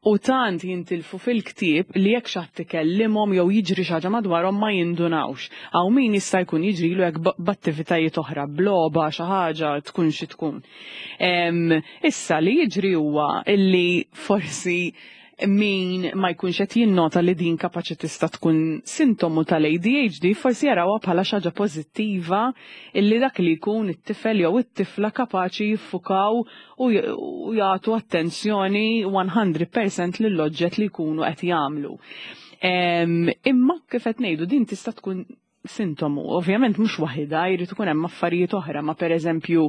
u tant jintilfu fil-ktieb li jekk xi ħadd ikellimhom jew jiġri xi ħaġa madwarhom ma jindunawx. Hawn min jista' jkun jiġrilu hekk b- b'attivitajiet oħra, b'logħba, xi ħaġa tkun xi tkun. Em, Issa li jiġri huwa illi forsi min ma jkunx qed jinnota li din kapaċi tista' tkun sintomu tal-A D H D forsi jarawha bħala xi ħaġa pożittiva illi dak li jkun it-tifel jew it-tifla kapaċi jiffukaw u j- u jagħtu attenzjoni mija fil-mija lill-oġġett li jkunu qed jagħmlu. Em, Imma kif qed ngħidu, din tista' tkun sintomu, ovvjament mhux waħida, jrid ikun hemm affarijiet oħra, ma pereżempju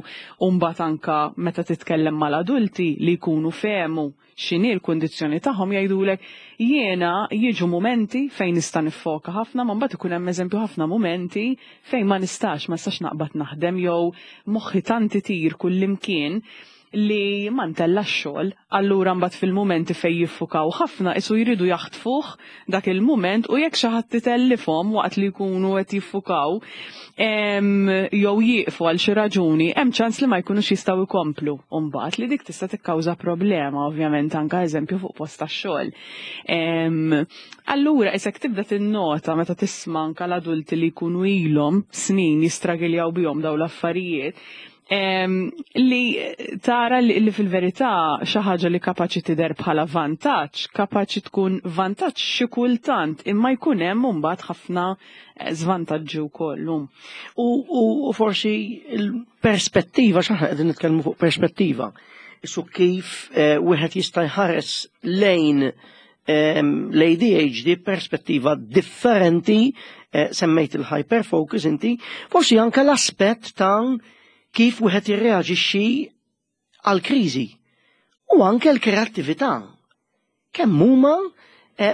mbagħad anka meta titkellem mal-adulti li jkunu fehmu x'inhi l-kundizzjoni tagħhom, jgħidulek: "Jiena jiġu mumenti fejn nista' niffoka ħafna, ma mbagħad ikun hemm eżempju ħafna mumenti fejn ma nistax, ma nistax naqbad naħdem jew moħħi tant itir kullimkien li ma ntella xogħol." Allura mbagħad fil-mumenti fejn jiffukaw ħafna isu jridu jaħtfuh dak il-mument, u jekk xi ħadd itellifhom waqt li jkunu qed jiffukaw em, jew jieqfu għal xi raġuni, hemm ċans li ma jkunux jistgħu jkomplu. U mbagħad li dik tista' tikkawża problema ovvjament anka eżempju fuq post tax-xogħol. Em, Allura isek tibda tinnota meta tisma' anka l-adulti li jkunu ilhom snin jistragiljaw bihom dawn l-affarijiet, em, li tara li, li fil-verità xi ħaġa li kapaċi tidher bħala vantaġġ, kapaċi tkun vantaġġ xi kultant, imma jkun hemm mbagħad ħafna eh, żvantaġġi wkoll. U, u, u forsi il-perspettiva, x'aħna qegħdin nitkellmu fuq perspettiva. Isu kif eh, wieħed jista' jħares lejn ehm, l-A D H D perspettiva differenti, eh, semmejt il-hyperfocus inti, forsi anke l-aspett ta' kif wieħed jirreaġixxi għal kriżi u anke l-kreattività. Kemm huma eh,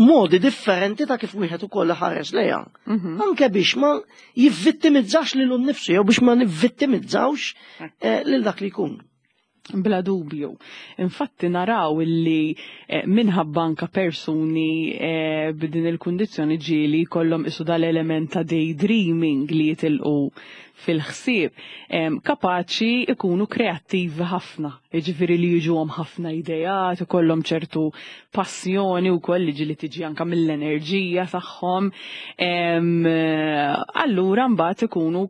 modi differenti ta' kif wieħed ukoll ħares lejha. Mhm. Anke biex ma jivvittimizzax lilu nnifsu jew biex ma nivvittimizzawx eh, lil dak li jkun. Bla dubju. Infatti naraw illi eh, minħabba anka persuni eh, b'din il-kundizzjoni ġieli kollhom isu dal-element ta' daydreaming li jitilqu fil-ħsieb, em, kapaċi ikunu kreattivi ħafna. Jiġifieri li jiġuhom ħafna idejat, ikollhom ċertu passjoni wkoll li ġieli tiġi anka mill-enerġija tagħhom. Em, Allura mbagħad ikunu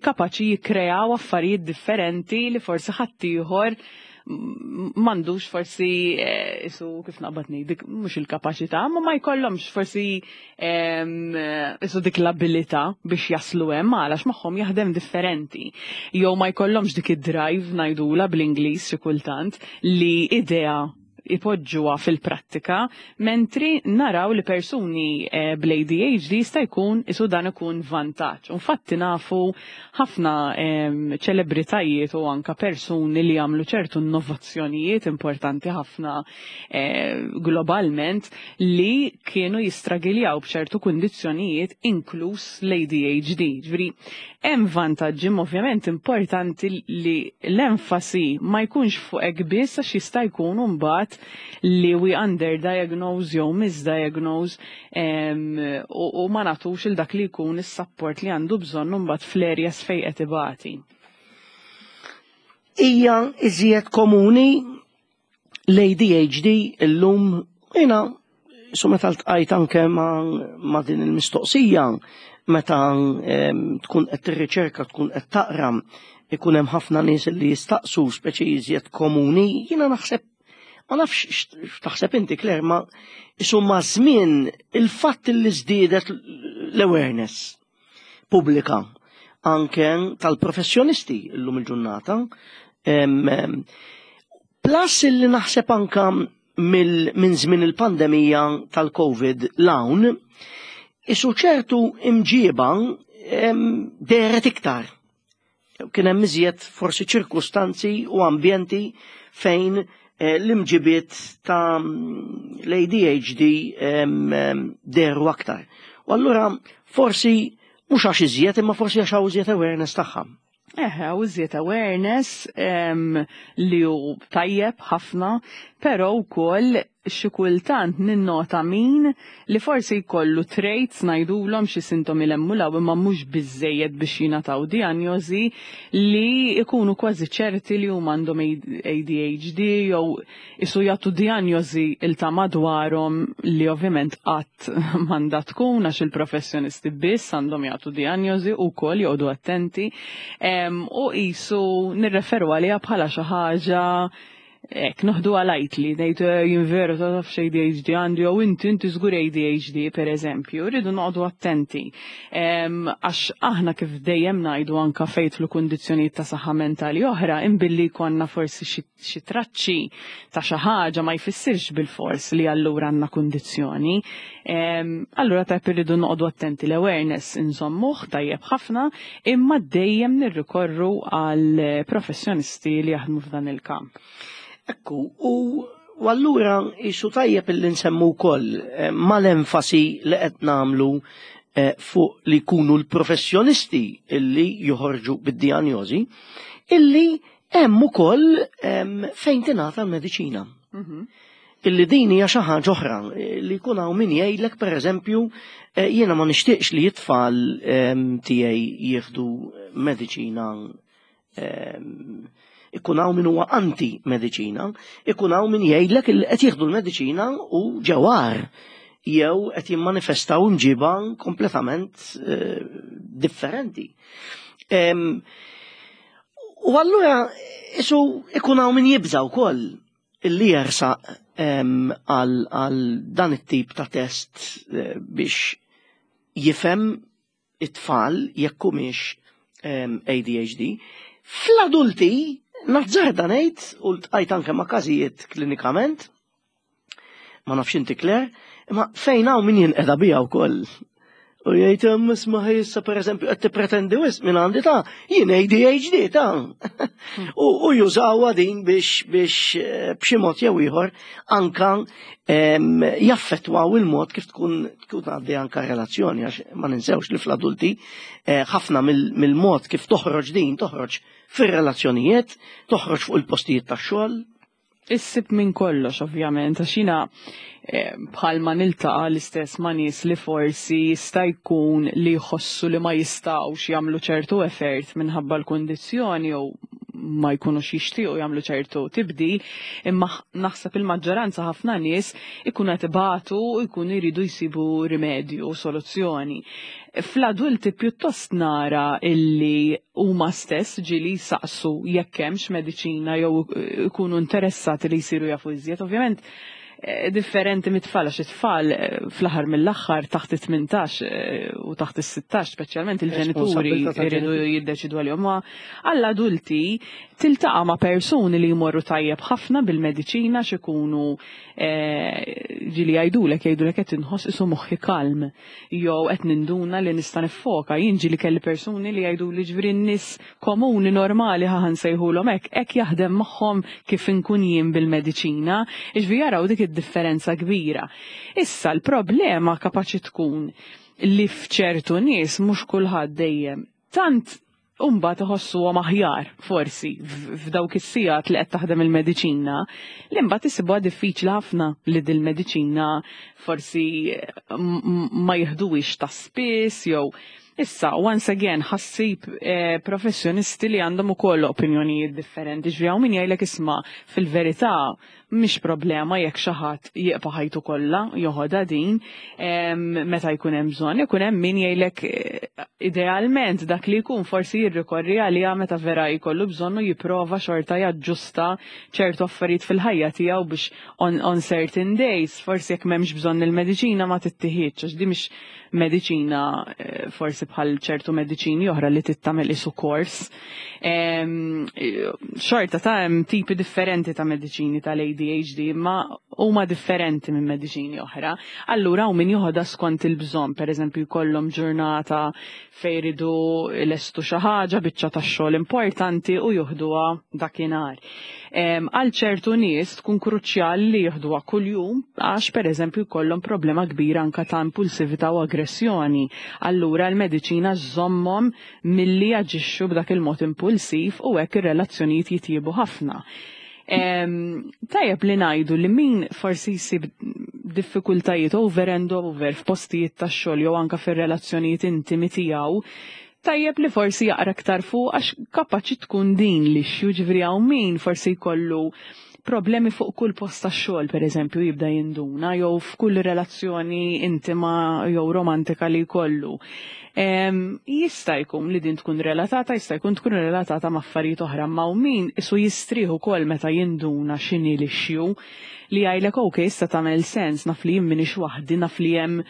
kapaċi jikkreaw affarijiet differenti li forsi ħaddieħor m'għandux forsi eh, isu kif naqbad ngħid, mhux il-kapaċità, ma ma jkollhomx forsi em, eh, isu dik l-abilità biex jaslu hemm, għalax magħhom jaħdem differenti. Jew ma jkollhomx dik id-drive ngħidula bl-Ingliż xi kultant li idea ipoġġuha fil-prattika, mentri naraw li persuni eh, bl-A D H D jista' jkun isu dan ikun vantaġġ. Infatti nafu ħafna em, ċelebritajiet u anka persuni li jagħmlu ċertu innovazzjonijiet importanti ħafna eh, globalment li kienu jistragiljaw b'ċertu kundizzjonijiet, inkluż l-A D H D. Ġifieri hemm vantaġġi, imma ovvjament importanti li l-enfasi ma jkunx fuq hekk biss, għax jista' jkun mbagħad li we underdiagnose jew misdiagnose em, u, u ma nagħtux il dak li jkun is-support li għandu bżonn mbagħad fl-areas fejn qed ibati. Hija iżjed komuni l-A D H D illum? Jiena su meta ltqajt anke ma, ma din il-mistoqsija, meta em, tkun qed tirriċerka, tkun qed taqra, ikun hemm ħafna nies li jistaqsu speċi iżjed komuni, jiena naħseb, ma nafx x'taħseb inti, Claire, ma isu ma żmien il-fatt li żdiedet l-awareness pubblika. anke tal-professjonisti llum il-ġurnata. Plus illi naħseb anka minn żmien il-pandemija tal-Covid 'l hawn, isu ċertu imġiba dehret iktar. Kien hemm iżjed forsi ċirkustanzi u ambjenti fejn eh, l-imġibiet ta' l-A D H D dehru aktar. U allura forsi mhux għax iżjed, imma forsi għax hawn iżjed awareness tagħha. Eħe, u iżjed awareness li hu tajjeb ħafna, pero wkoll xi kultant ninnota min li forsi jkollu traits, ngħidulhom xi sintomi l-emmulaw, imma mhux biżejjed biex jingħataw diagnosi, li jkunu kważi ċerti li huma għandhom A D H D jew isu jagħtu diagnosi il ta' madwarhom, li ovvjament qatt m'għandha tkun, għax il-professjonisti biss għandhom jagħtu diagnosi u wkoll joqogħdu attenti u qisu nirreferu għaliha bħala xi ħaġa ek, noħdu għalajt li ngħidu eh, jien veru ta' taf A D H D għandi jew inti inti żgur A D H D, per eżempju, rridu noqogħdu attenti. Għax aħna kif dejjem ngħidu, anka fejn jidħlu kundizzjonijiet ta' saħħa mentali oħra, imbilli konna forsi xi traċċi ta' xi ħaġa ma jfissirx bil-fors li allura għandna kundizzjoni. Allura tajb irridu noqogħdu attenti, l-awareness insommuh tajjeb ħafna, imma dejjem nirrikorru għal professjonisti li jaħdmu f'dan il-kamp. Ekku, u u allura jisu tajjeb illi nsemmu wkoll eh, mal-enfasi li qed nagħmlu eh, fuq li jkunu l-professjonisti illi joħorġu bid-dijanjosi, illi hemm ukoll fejn tingħata l-mediċina. Mhm. Illi din hija xi ħaġa oħra li jkun hawn min jgħidlek, pereżempju, eh, jiena ma nixtieqx li t-tfal tiegħi jieħdu mediċina. Ikun hawn min huwa anti-mediċina, ikun hawn min jgħidlek li qed jieħdu l-mediċina u ġewar jew qed jimmanifestaw imġiba kompletament eh, differenti. U allura isu ikun hawn min jibża wkoll illi jersaq għal dan it-tip ta' test eh, biex jifhem it-tfal jekk humiex A D H D. Fl-adulti, nazzarda ngħid, u ltqajt anke ma' każijiet klinikament, ma nafx inti, Claire, imma fejn hawn min jinqeda biha wkoll. U jgħid, isma', issa pereżempju qed tippretendi wisq minn għandi ta', jien A D H D ta'. U jużawha din biex biex eh, b'xi mod jew ieħor anka jaffettwaw il-mod kif tkun tkun għaddi anka relazzjoni, għax ma ninsewx li fl-adulti eh, ħafna mill-mod kif toħroġ din toħroġ fir-relazzjonijiet, toħroġ fuq il-postijiet tax-xogħol. Issib minn kollox, ovvjament, għax jiena eh, bħalma niltaqa' l-istess ma' nies li forsi jista' jkun li jħossu li ma jistgħux jagħmlu ċertu effort minħabba l-kundizzjoni jew ma jkunux jixtiequ jagħmlu ċertu tibdil, imma naħseb il-maġġoranza, ħafna nies ikunu qed ibatu u jkunu jridu jsibu rimedju u soluzzjoni. Fl-adulti pjuttost nara illi huma stess ġieli saqsu jekk hemmx mediċina jew ikunu interessati li jsiru jafu iżjed. Ovvjament eh, differenti mit-tfal, għax it-tfal eh, fl-aħħar mill-aħħar taħt it-tmintax eh, u taħt is-sittax speċjalment il-ġenituri jridu jiddeċidu għalihom. Ma għall-adulti tiltaqa' ma' persuni li jmorru tajjeb ħafna bil-mediċina, x'ikunu ġieli jgħidulek jgħidulek qed inħoss isu moħħi kalm jew qed ninduna li nista' niffoka. Jien ġieli kelli persuni li jgħidu li ġifieri n-nies komuni normali, ħa nsejħulhom hekk, hekk jaħdem magħhom kif inkun jien bil-mediċina, jiġifieri jaraw dik id-differenza kbira. Issa l-problema kapaċi tkun li f'ċertu nies, mhux kulħadd dejjem, tant Umba tħossu aħjar forsi f'dawk is-sigħat li qed taħdem il-mediċina, li mbagħad isibuha diffiċli ħafna li dil-mediċina forsi ma jiħduwix ta' spiss jew. Issa, once again, ħassib eh, professjonisti li għandhom ukoll opinjonijiet differenti. Ġifieri min jgħidlek, isma', fil-verità Mhix problema jekk xi ħadd jibqa' ħajtu kollha joħodha din meta jkun hemm bżonn, ikun hemm min jgħidlek eh, idealment dak li jkun forsi jirrikorri għaliha meta vera jkollu bżonn u jipprova xorta jaġġusta ċertu affarijiet fil-ħajja tiegħu biex on, on certain days, forsi jekk m'hemmx bżonn il-mediċina ma tittieħidx, għax di mhix mediċina eh, forsi bħal ċertu mediċini oħra li tittamel isu kors. Xorta ta' hemm tipi differenti ta' mediċini tal-A D H D, ma huma differenti minn mediċini oħra. Allura u min joħodha skont il-bżonn, per eżempju jkollhom ġurnata fejn iridu lestu xi ħaġa, biċċa tax-xogħol importanti, u joħduha dakinhar. Għal ċertu nies tkun kruċjali li joħduha kuljum għax, per eżempju, jkollhom problema kbira anka ta' impulsività u aggressjoni. Allura l-mediċina żommhom milli jaġixxu b'dak il-mod impulsiv u hekk ir-relazzjonijiet jitjiebu ħafna. Tajjeb li ngħidu li min forsi jsib diffikultajiet over and over f'postijiet tax-xogħol jew anka fir-relazzjonijiet intimi tiegħu, tajjeb li forsi jaqra aktar fuq għax kapaċi tkun din li ġifieri hawn min forsi jkollu problemi fuq kull post ta' xogħol, per eżempju, jibda jinduna jew f'kull relazzjoni intima jew romantika li jkollu. Jista' jkun li din tkun relatata, jista' jkun tkun relatata ma' affarijiet oħra, ma' min isu jistrieħu ukoll meta jinduna x'inhi l-issue, li jgħidlek, "Ok, issa tagħmel sens, naf li jien m'iniex waħdi, naf li hemm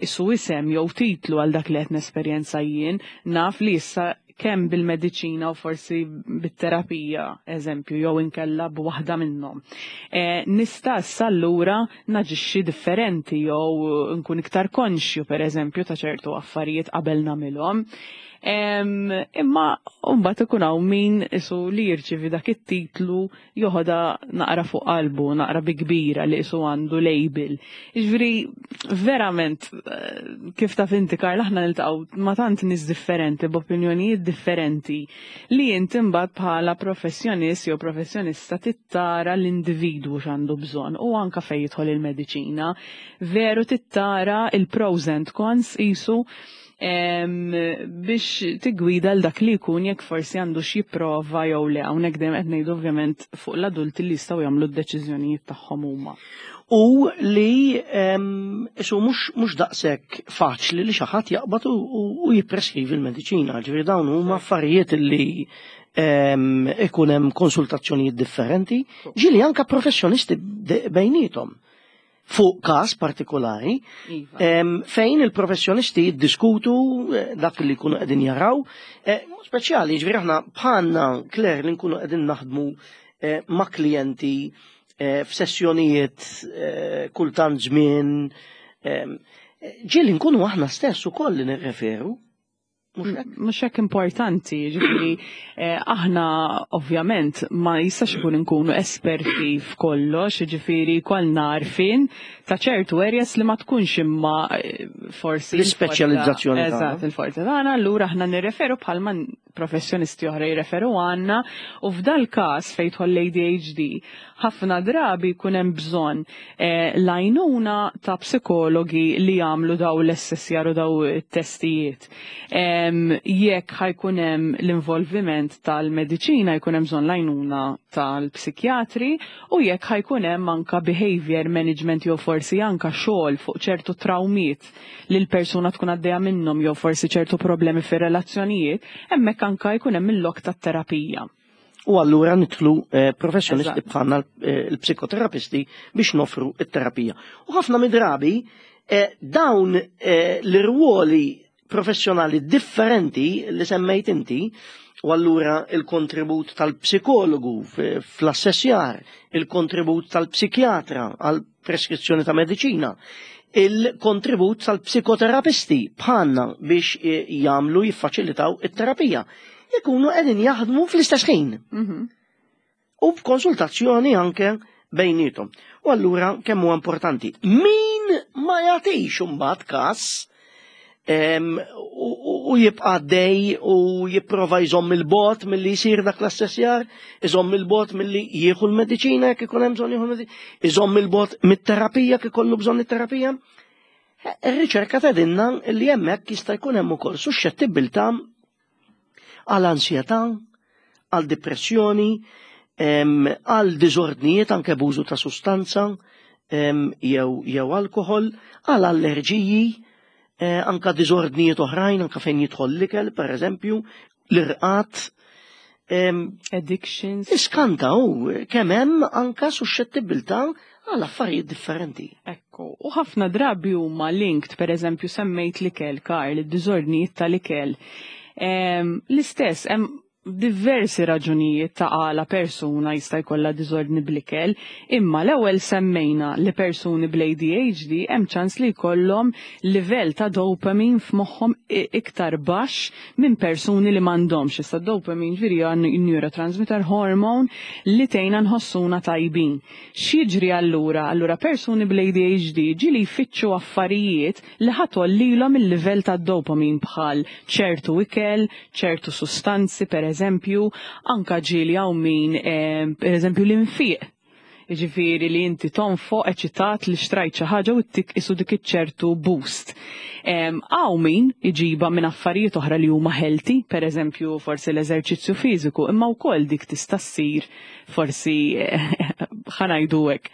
isu isem jew titlu għal dak li qed nesperjenza jien, naf li issa kemm bil-mediċina u forsi bit-terapija, eżempju, jew inkella b'waħda minnhom. E, nista' issa allura naġixxi differenti jew nkun iktar konxju, per eżempju, ta' ċertu affarijiet qabel nagħmilhom." Imma mbagħad ikun hawn min isu li jirċivi dak it-titlu joħodha naqra fuq qalbu, naqra bi kbira li isu għandu label. Jiġifieri verament, eh, kif taf inti, Karl, aħna niltaqgħu ma' tant nies differenti b'opinjonijiet differenti li inti mbagħad bħala professjonist jew professjonista tittara l-individwu x'għandu bżonn u anka fejn jidħol il-mediċina. Veru tittara il-pros and cons isu biex tigwida l dak li jkun jekk forsi għandu xi prova jew le. Hawnhekk dejjem qed ngħidu ovvjament fuq l-adulti li jistgħu jagħmlu d-deċiżjonijiet tagħhom huma. U li isu mhux daqshekk faċli li xi ħadd jaqbad u jippreskrivi l-mediċina. Ġifieri dawn huma affarijiet li ikun hemm konsultazzjonijiet differenti, ġieli anka professjonisti bejnietom fuq każ partikolari, Iva. fejn il-professjonisti jiddiskutu eh, dak li jkunu qegħdin jaraw, eh, speċjali ġifieri aħna bħalna, Claire, li nkunu qegħdin naħdmu eh, ma' klijenti f'sessjonijiet kultant żmien, ġieli nkunu aħna stess ukoll li nirreferu. Mhux hekk importanti, ġifieri eh, aħna ovvjament ma jistax ikun nkunu esperti f'kollox, ġifieri kollna għarfien ta' ċertu areas li ma tkunx imma eh, forsi l-ispeċjalizzazzjoni. Eżatt, il-forti tagħna, allura aħna nirreferu bħalma professjonisti oħra jirreferu għandna, u f'dal każ fejn tidħol l-A D H D ħafna drabi jkun hemm bżonn eh, l-għajnuna ta' psikologi li jagħmlu daw l-assessjar u daw it-testijiet. Jekk ħa jkun hemm l-involviment tal-mediċina, jkun hemm bżonn l-għajnuna tal-psikjatri, u jekk ħa jkun hemm anka behavior management jew forsi anka xogħol fuq ċertu traumiet li l-persuna tkun għaddejja minnhom jew forsi ċertu problemi fir-relazzjonijiet, hemmhekk anka jkun hemm il-lok tat-terapija. U allura nidħlu eh, professjonisti Eżatt. bħalna, eh, l-psikoterapisti, biex nofru it-terapija. U ħafna mid-drabi eh, dawn eh, l-irwoli professjonali differenti li semmejt inti, u allura il-kontribut tal-psikologu f- fl-assessjar, il-kontribut tal-psikjatra għal preskrizzjoni ta' mediċina, il-kontribut tal-psikoterapisti bħalna biex eh, jagħmlu, jiffaċilitaw it-terapija, ikunu qegħdin jaħdmu fl-istess ħin Mhm. u b'konsultazzjoni anke bejnietom. U allura kemm huwa importanti. Min ma jagħtix imbagħad każ em, u, u- u jibqa' dej u jipprova jżomm il-bogħod milli jsir dak l-assessjar, iżomm il-bogħod milli jieħu l-mediċina jekk ikun hemm bżonn jieħu l-mediċina, iżomm il-bogħod mit-terapija jekk ikollu bżonn it-terapija. Eh, Ir-riċerka tgħidilna li hemmhekk jista' jkun hemm ukoll suxxettibilità għal ansjetà, għal depressjoni, għal diżordnijiet anke b'użu ta' sustanza jew jew alkohol, għal allerġiji, eh, anka diżordnijiet oħrajn, anka fejn jidħol l-ikel, per eżempju, l-irqat. Addictions. Iskanta u kemm hemm anka suxxettibilità għal affarijiet differenti. Ekku, u ħafna drabi huma linked, per eżempju, semmejt l-ikel, Karl, id-diżordnijiet tal-ikel. L-istess, hemm diversi raġunijiet ta' għala persuna jista' jkollha diżordni bl-ikel, imma l-ewwel semmejna li persuni bl-A D H D hemm ċans li jkollhom livell ta' dopamine f'moħħhom iktar baxx minn persuni li m'għandhomx. Issa dopamine ġifieri hija neurotransmitter hormone li tgħinna nħossuna tajbin. X'jiġri allura? Allura persuni bl-A D H D ġieli jfittxu affarijiet li ħa tgħollilhom il-livell ta' dopamine, bħal ċertu ikel, ċertu sustanzi per eżempju, anka ġieli hawn min, eh, per eżempju, l-infiq. Ġifieri li inti tonfoq eċitat li xtrajt xi ħaġa u ttik isu dik iċ-ċertu boost. Hawn min iġiba minn affarijiet oħra li huma healthy, per eżempju forsi l-eżerċizzju fiżiku, imma wkoll dik tista' ssir forsi, ħa ngħidu hekk,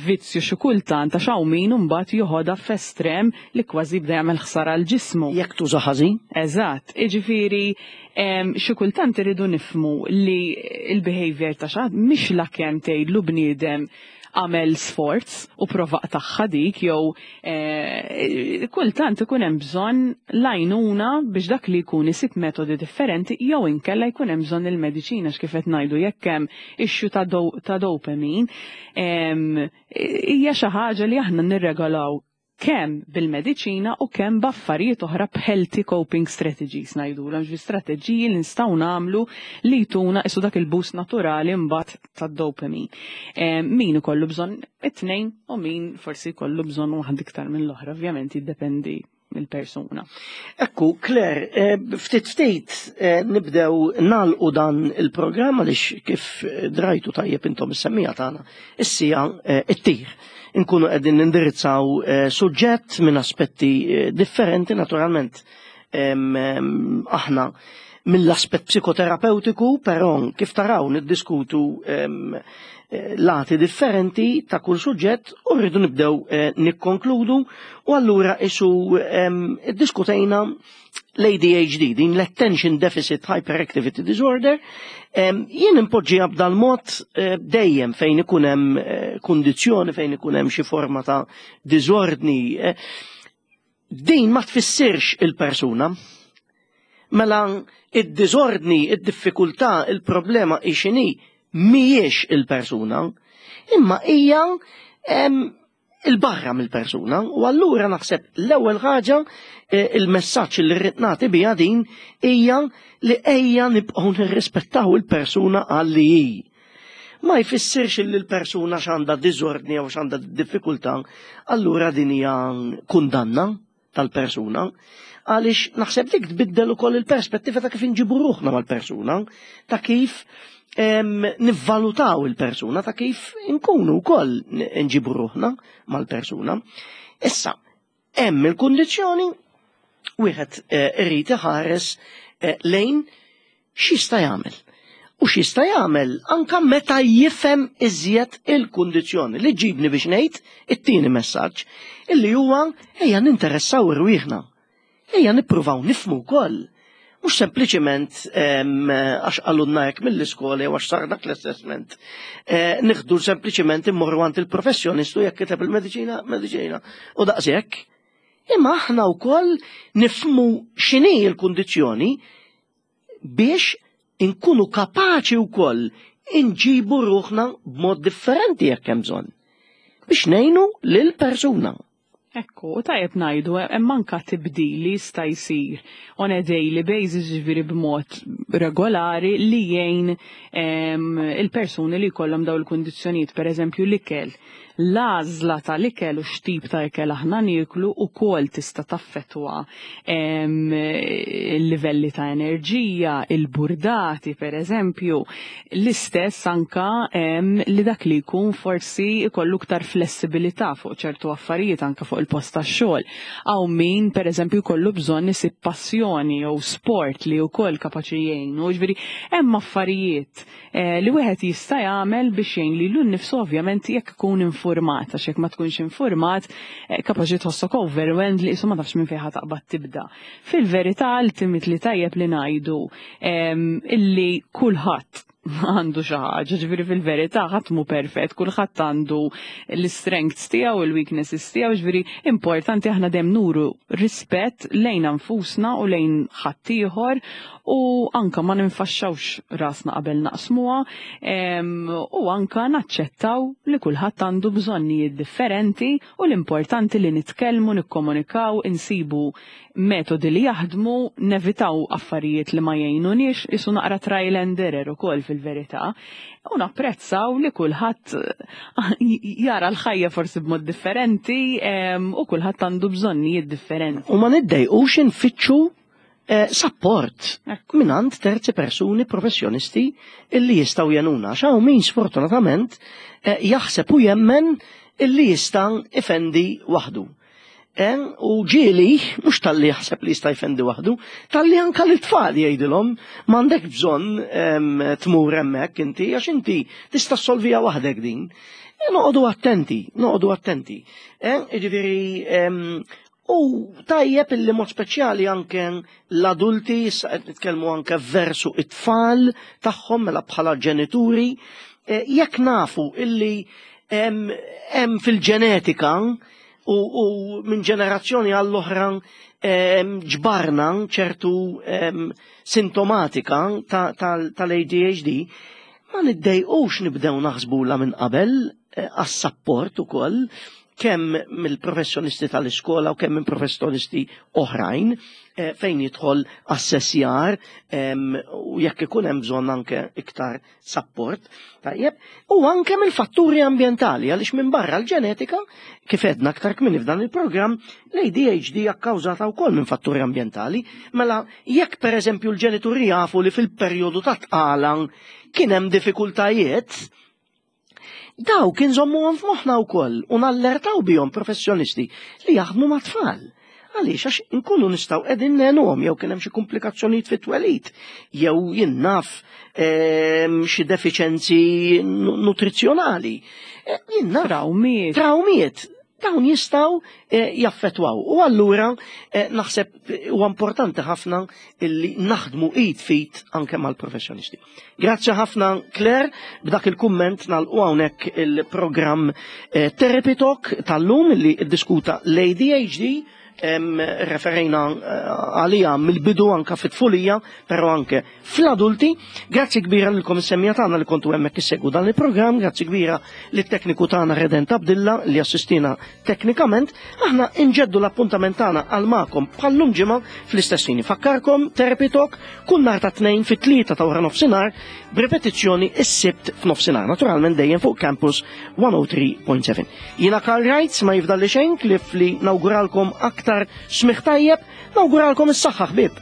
vizzju xi kultant, għax hawn min imbagħad joħodha f'estrem li kważi bda jagħmel ħsara l ġismu. Jekk tuża ħażin? Eżatt, jiġifieri xi kultant iridu nifhmu li il-behavior ta' xi ħadd mhix la kemm tgħidlu bniedem għamel sforz u prova tagħha dik jew eh, kultant ikun hemm bżonn l-għajnuna biex dak li jkun isib metodi differenti jew inkella jkun hemm bżonn il-mediċina, x'kif qed ngħidu, jekk hemm issue ta' do, ta' dopamine hija xi ħaġa li aħna nirregolaw kemm bil-mediċina u kemm b'affarijiet oħra, b'healthy coping strategies ngħidulhom, ġifieri strateġiji li nistgħu nagħmlu li jtuna isu dak il-boost naturali mbagħad tad-dopamine. Min ikollu bżonn it-tnejn u min forsi jkollu bżonn waħda iktar mill-oħra, ovvjament jiddependi mill-persuna. Ekku, Claire, eh, ftit ftit eh, nibdew nagħlqu dan il-programm għaliex, kif drajtu tajjeb intom is-semmiegħa tagħna, is-siegħa eh, ittir. Inkunu qegħdin nindirizzaw suġġett minn aspetti differenti, naturalment aħna mill-aspett psikoterapeutiku, però kif taraw niddiskutu lati differenti ta' kull suġġett u rridu nibdew nikkonkludu. U allura isu diskutejna l-A D H D, din l-Attention Deficit Hyperactivity Disorder. Jien impoġġiha b'dal mod dejjem fejn ikun hemm kundizzjoni, fejn ikun hemm xi forma ta' diżordni. Din ma tfissirx il-persuna. Mela id-diżordni, id-diffikultà, il-problema x'inhi mhijiex il-persuna, imma hija il-barra mill-persuna. U allura naħseb l-ewwel ħaġa, eh, il-messaġġ li rrid nagħti biha din hija li ejja nibqgħu nirrispettaw il-persuna għal li hi. Ma jfissirx li l-persuna x'għandha diżordni jew x'għandha diffikultà, allura din hija kundanna tal-persuna, għaliex naħseb dik tbiddel ukoll il-perspettiva ta' kif inġibu ruħna mal-persuna, ta' kif em, nivvalutaw il-persuna, ta' kif inkunu wkoll nġibu ruħna mal-persuna. Issa, hemm il-kundizzjoni, wieħed eh, irid iħares eh, lejn x'jista' jagħmel. U x'jista' jagħmel anka meta jifhem iżjed il-kundizzjoni, li ġibni biex ngħid it-tieni messaġġ, illi huwa ejja ninteressaw irwieħna. Ejja nippruvaw nifhmu wkoll. Mhux sempliċement għax qalulna hekk mill-iskola jew għax sar dak l-assessment. Eh, Nieħdu sempliċement immorru għand il-professjonistu, jekk kiteb il-mediċina, mediċina. U daqshekk. Imma aħna wkoll nifhmu x'inhi l-kundizzjoni biex inkunu kapaċi wkoll inġibu ruħna b'mod differenti jekk hemm bżonn, biex ngħinu lil persuna. Ekku, u tajjeb ngħidu, hemm anka tibdil li jista' jsir on a daily basis, ġifieri b'mod regolari, li jgħin il-persuni li jkollhom daw il-kundizzjonijiet, per eżempju l-ikel. L-għażla tal-ikel u x'tip ta' ikel aħna nieklu ukoll tista' taffettwa il-livelli ta' enerġija, il-burdati per eżempju, l-istess anka li dak li jkun forsi jkollu iktar flessibilità fuq ċertu affarijiet anka fuq il-post tax-xogħol. Hawn min per eżempju jkollu bżonn isib passjoni jew sport li wkoll kapaċi jgħinu, ġifieri hemm affarijiet eh, li wieħed jista' jagħmel biex jgħin lilu nnifsu, ovvjament jekk ikun informat, għax jekk ma tkunx informat eh, kapaċi tħossok overwhelmed li qisu ma tafx minn fejn taqbad tibda. Fil-verità, ultimately tajjeb li ngħidu illi kulħadd għandu xi ħaġa, ġifieri fil-verità ħadd mhu perfett, kulħadd għandu l-strengths tiegħu, il-weaknesses tiegħu, ġifieri importanti aħna dejjem nuru rispett lejn nfusna u lejn ħaddieħor u anka ma ninfaxxawx rasna qabel naqsmuha u anka naċċettaw li kulħadd għandu bżonnijiet differenti u l-importanti li nitkellmu, nikkomunikaw, insibu metodi li jaħdmu, nevitaw affarijiet li ma jgħinuniex, qisu naqra trial and error ukoll fil-verità. U napprezzaw li kulħadd jara l-ħajja forsi b'mod differenti u kulħadd għandu bżonnijiet differenti. U ma niddejqux infittxu eh, support mingħand terzi persuni professjonisti illi jistgħu jgħinuna. Hawn min sfortunatament eh, jaħseb u jemmen illi jista' ifendi waħdu. Eh, u ġieli, mhux talli jaħseb li jista' jfendi waħdu, talli anka l-tfal jgħidilhom m'għandek bżonn tmur hemmhekk inti, għax inti tista' solvija waħdek din. E, noqogħdu attenti, noqogħdu attenti. Jiġifieri, u tajjeb illi mod speċjali anke l-adulti, issa qed nitkellmu anke versu it-tfal tagħhom, mela bħala ġenituri, e, jekk nafu illi hemm fil-ġenetika u, u minn ġenerazzjoni għall-oħra ġbarna ċertu sintomatika tal-A D H D, ma niddejqux nibdew naħsbula minn qabel eh, għas-support ukoll kemm mill-professjonisti tal-iskola u kemm minn professjonisti oħrajn eh, fejn jidħol assessjar u jekk ikun hemm bżonn anke iktar support. Tajjeb, u anke mill-fatturi ambjentali, għaliex minn barra l-ġenetika, kif edna aktar kmieni f'dan il-programm, l-A D H D hija kkawżata wkoll minn fatturi ambjentali. Mela jekk pereżempju l-ġenituri jafu li fil-perjodu ta' tqala kien hemm diffikultajiet, dawk inżommuhom f'moħħna wkoll u nallertaw bihom professjonisti li jaħdmu ma' tfal. Għaliex? Għax nkunu nistgħu qegħdin ngħinuhom, jew kien hemm xi komplikazzjonijiet fit-twelid, jew jien naf ehm, xi defiċenzi nutrizzjonali. E, jien naf. Trawmiet. Trawmiet. Dawn jistgħu eh, jaffetwaw. U allura eh, naħseb huwa importanti ħafna illi naħdmu id f'id anke mal-professjonisti. Grazzi ħafna, Claire, b'dak il-kumment nagħlqu hawnhekk il-programm eh, Therapy Talk tal-lum li ddiskuta l-A D H D, referejna għalija mill-bidu anka fit-tfulija, pero anke fl-adulti. Grazzi kbira lilkom is-semmiegħa tagħna li kontu hemmhekk issegwu dan il-programm, grazzi kbira lit-tekniku tagħna Redent Abdilla li assistina teknikament. Aħna inġeddu l-appuntament tagħna għal magħkom bħallum ġimgħa fl-istess ħin. Fakkarkom, Therapy Talk kull nhar ta' Tnejn fit-tlieta ta' wara nofsinhar, b'ripetizzjoni is-Sibt f'nofsinhar, naturalment dejjem fuq Campus mija u tlieta punt seba'. Jiena Karl Wrights, ma jifdalli xejn ħlief li nawguralkom aktar smigħ tajjeb, nawguralkom is-saħħa, ħbieb.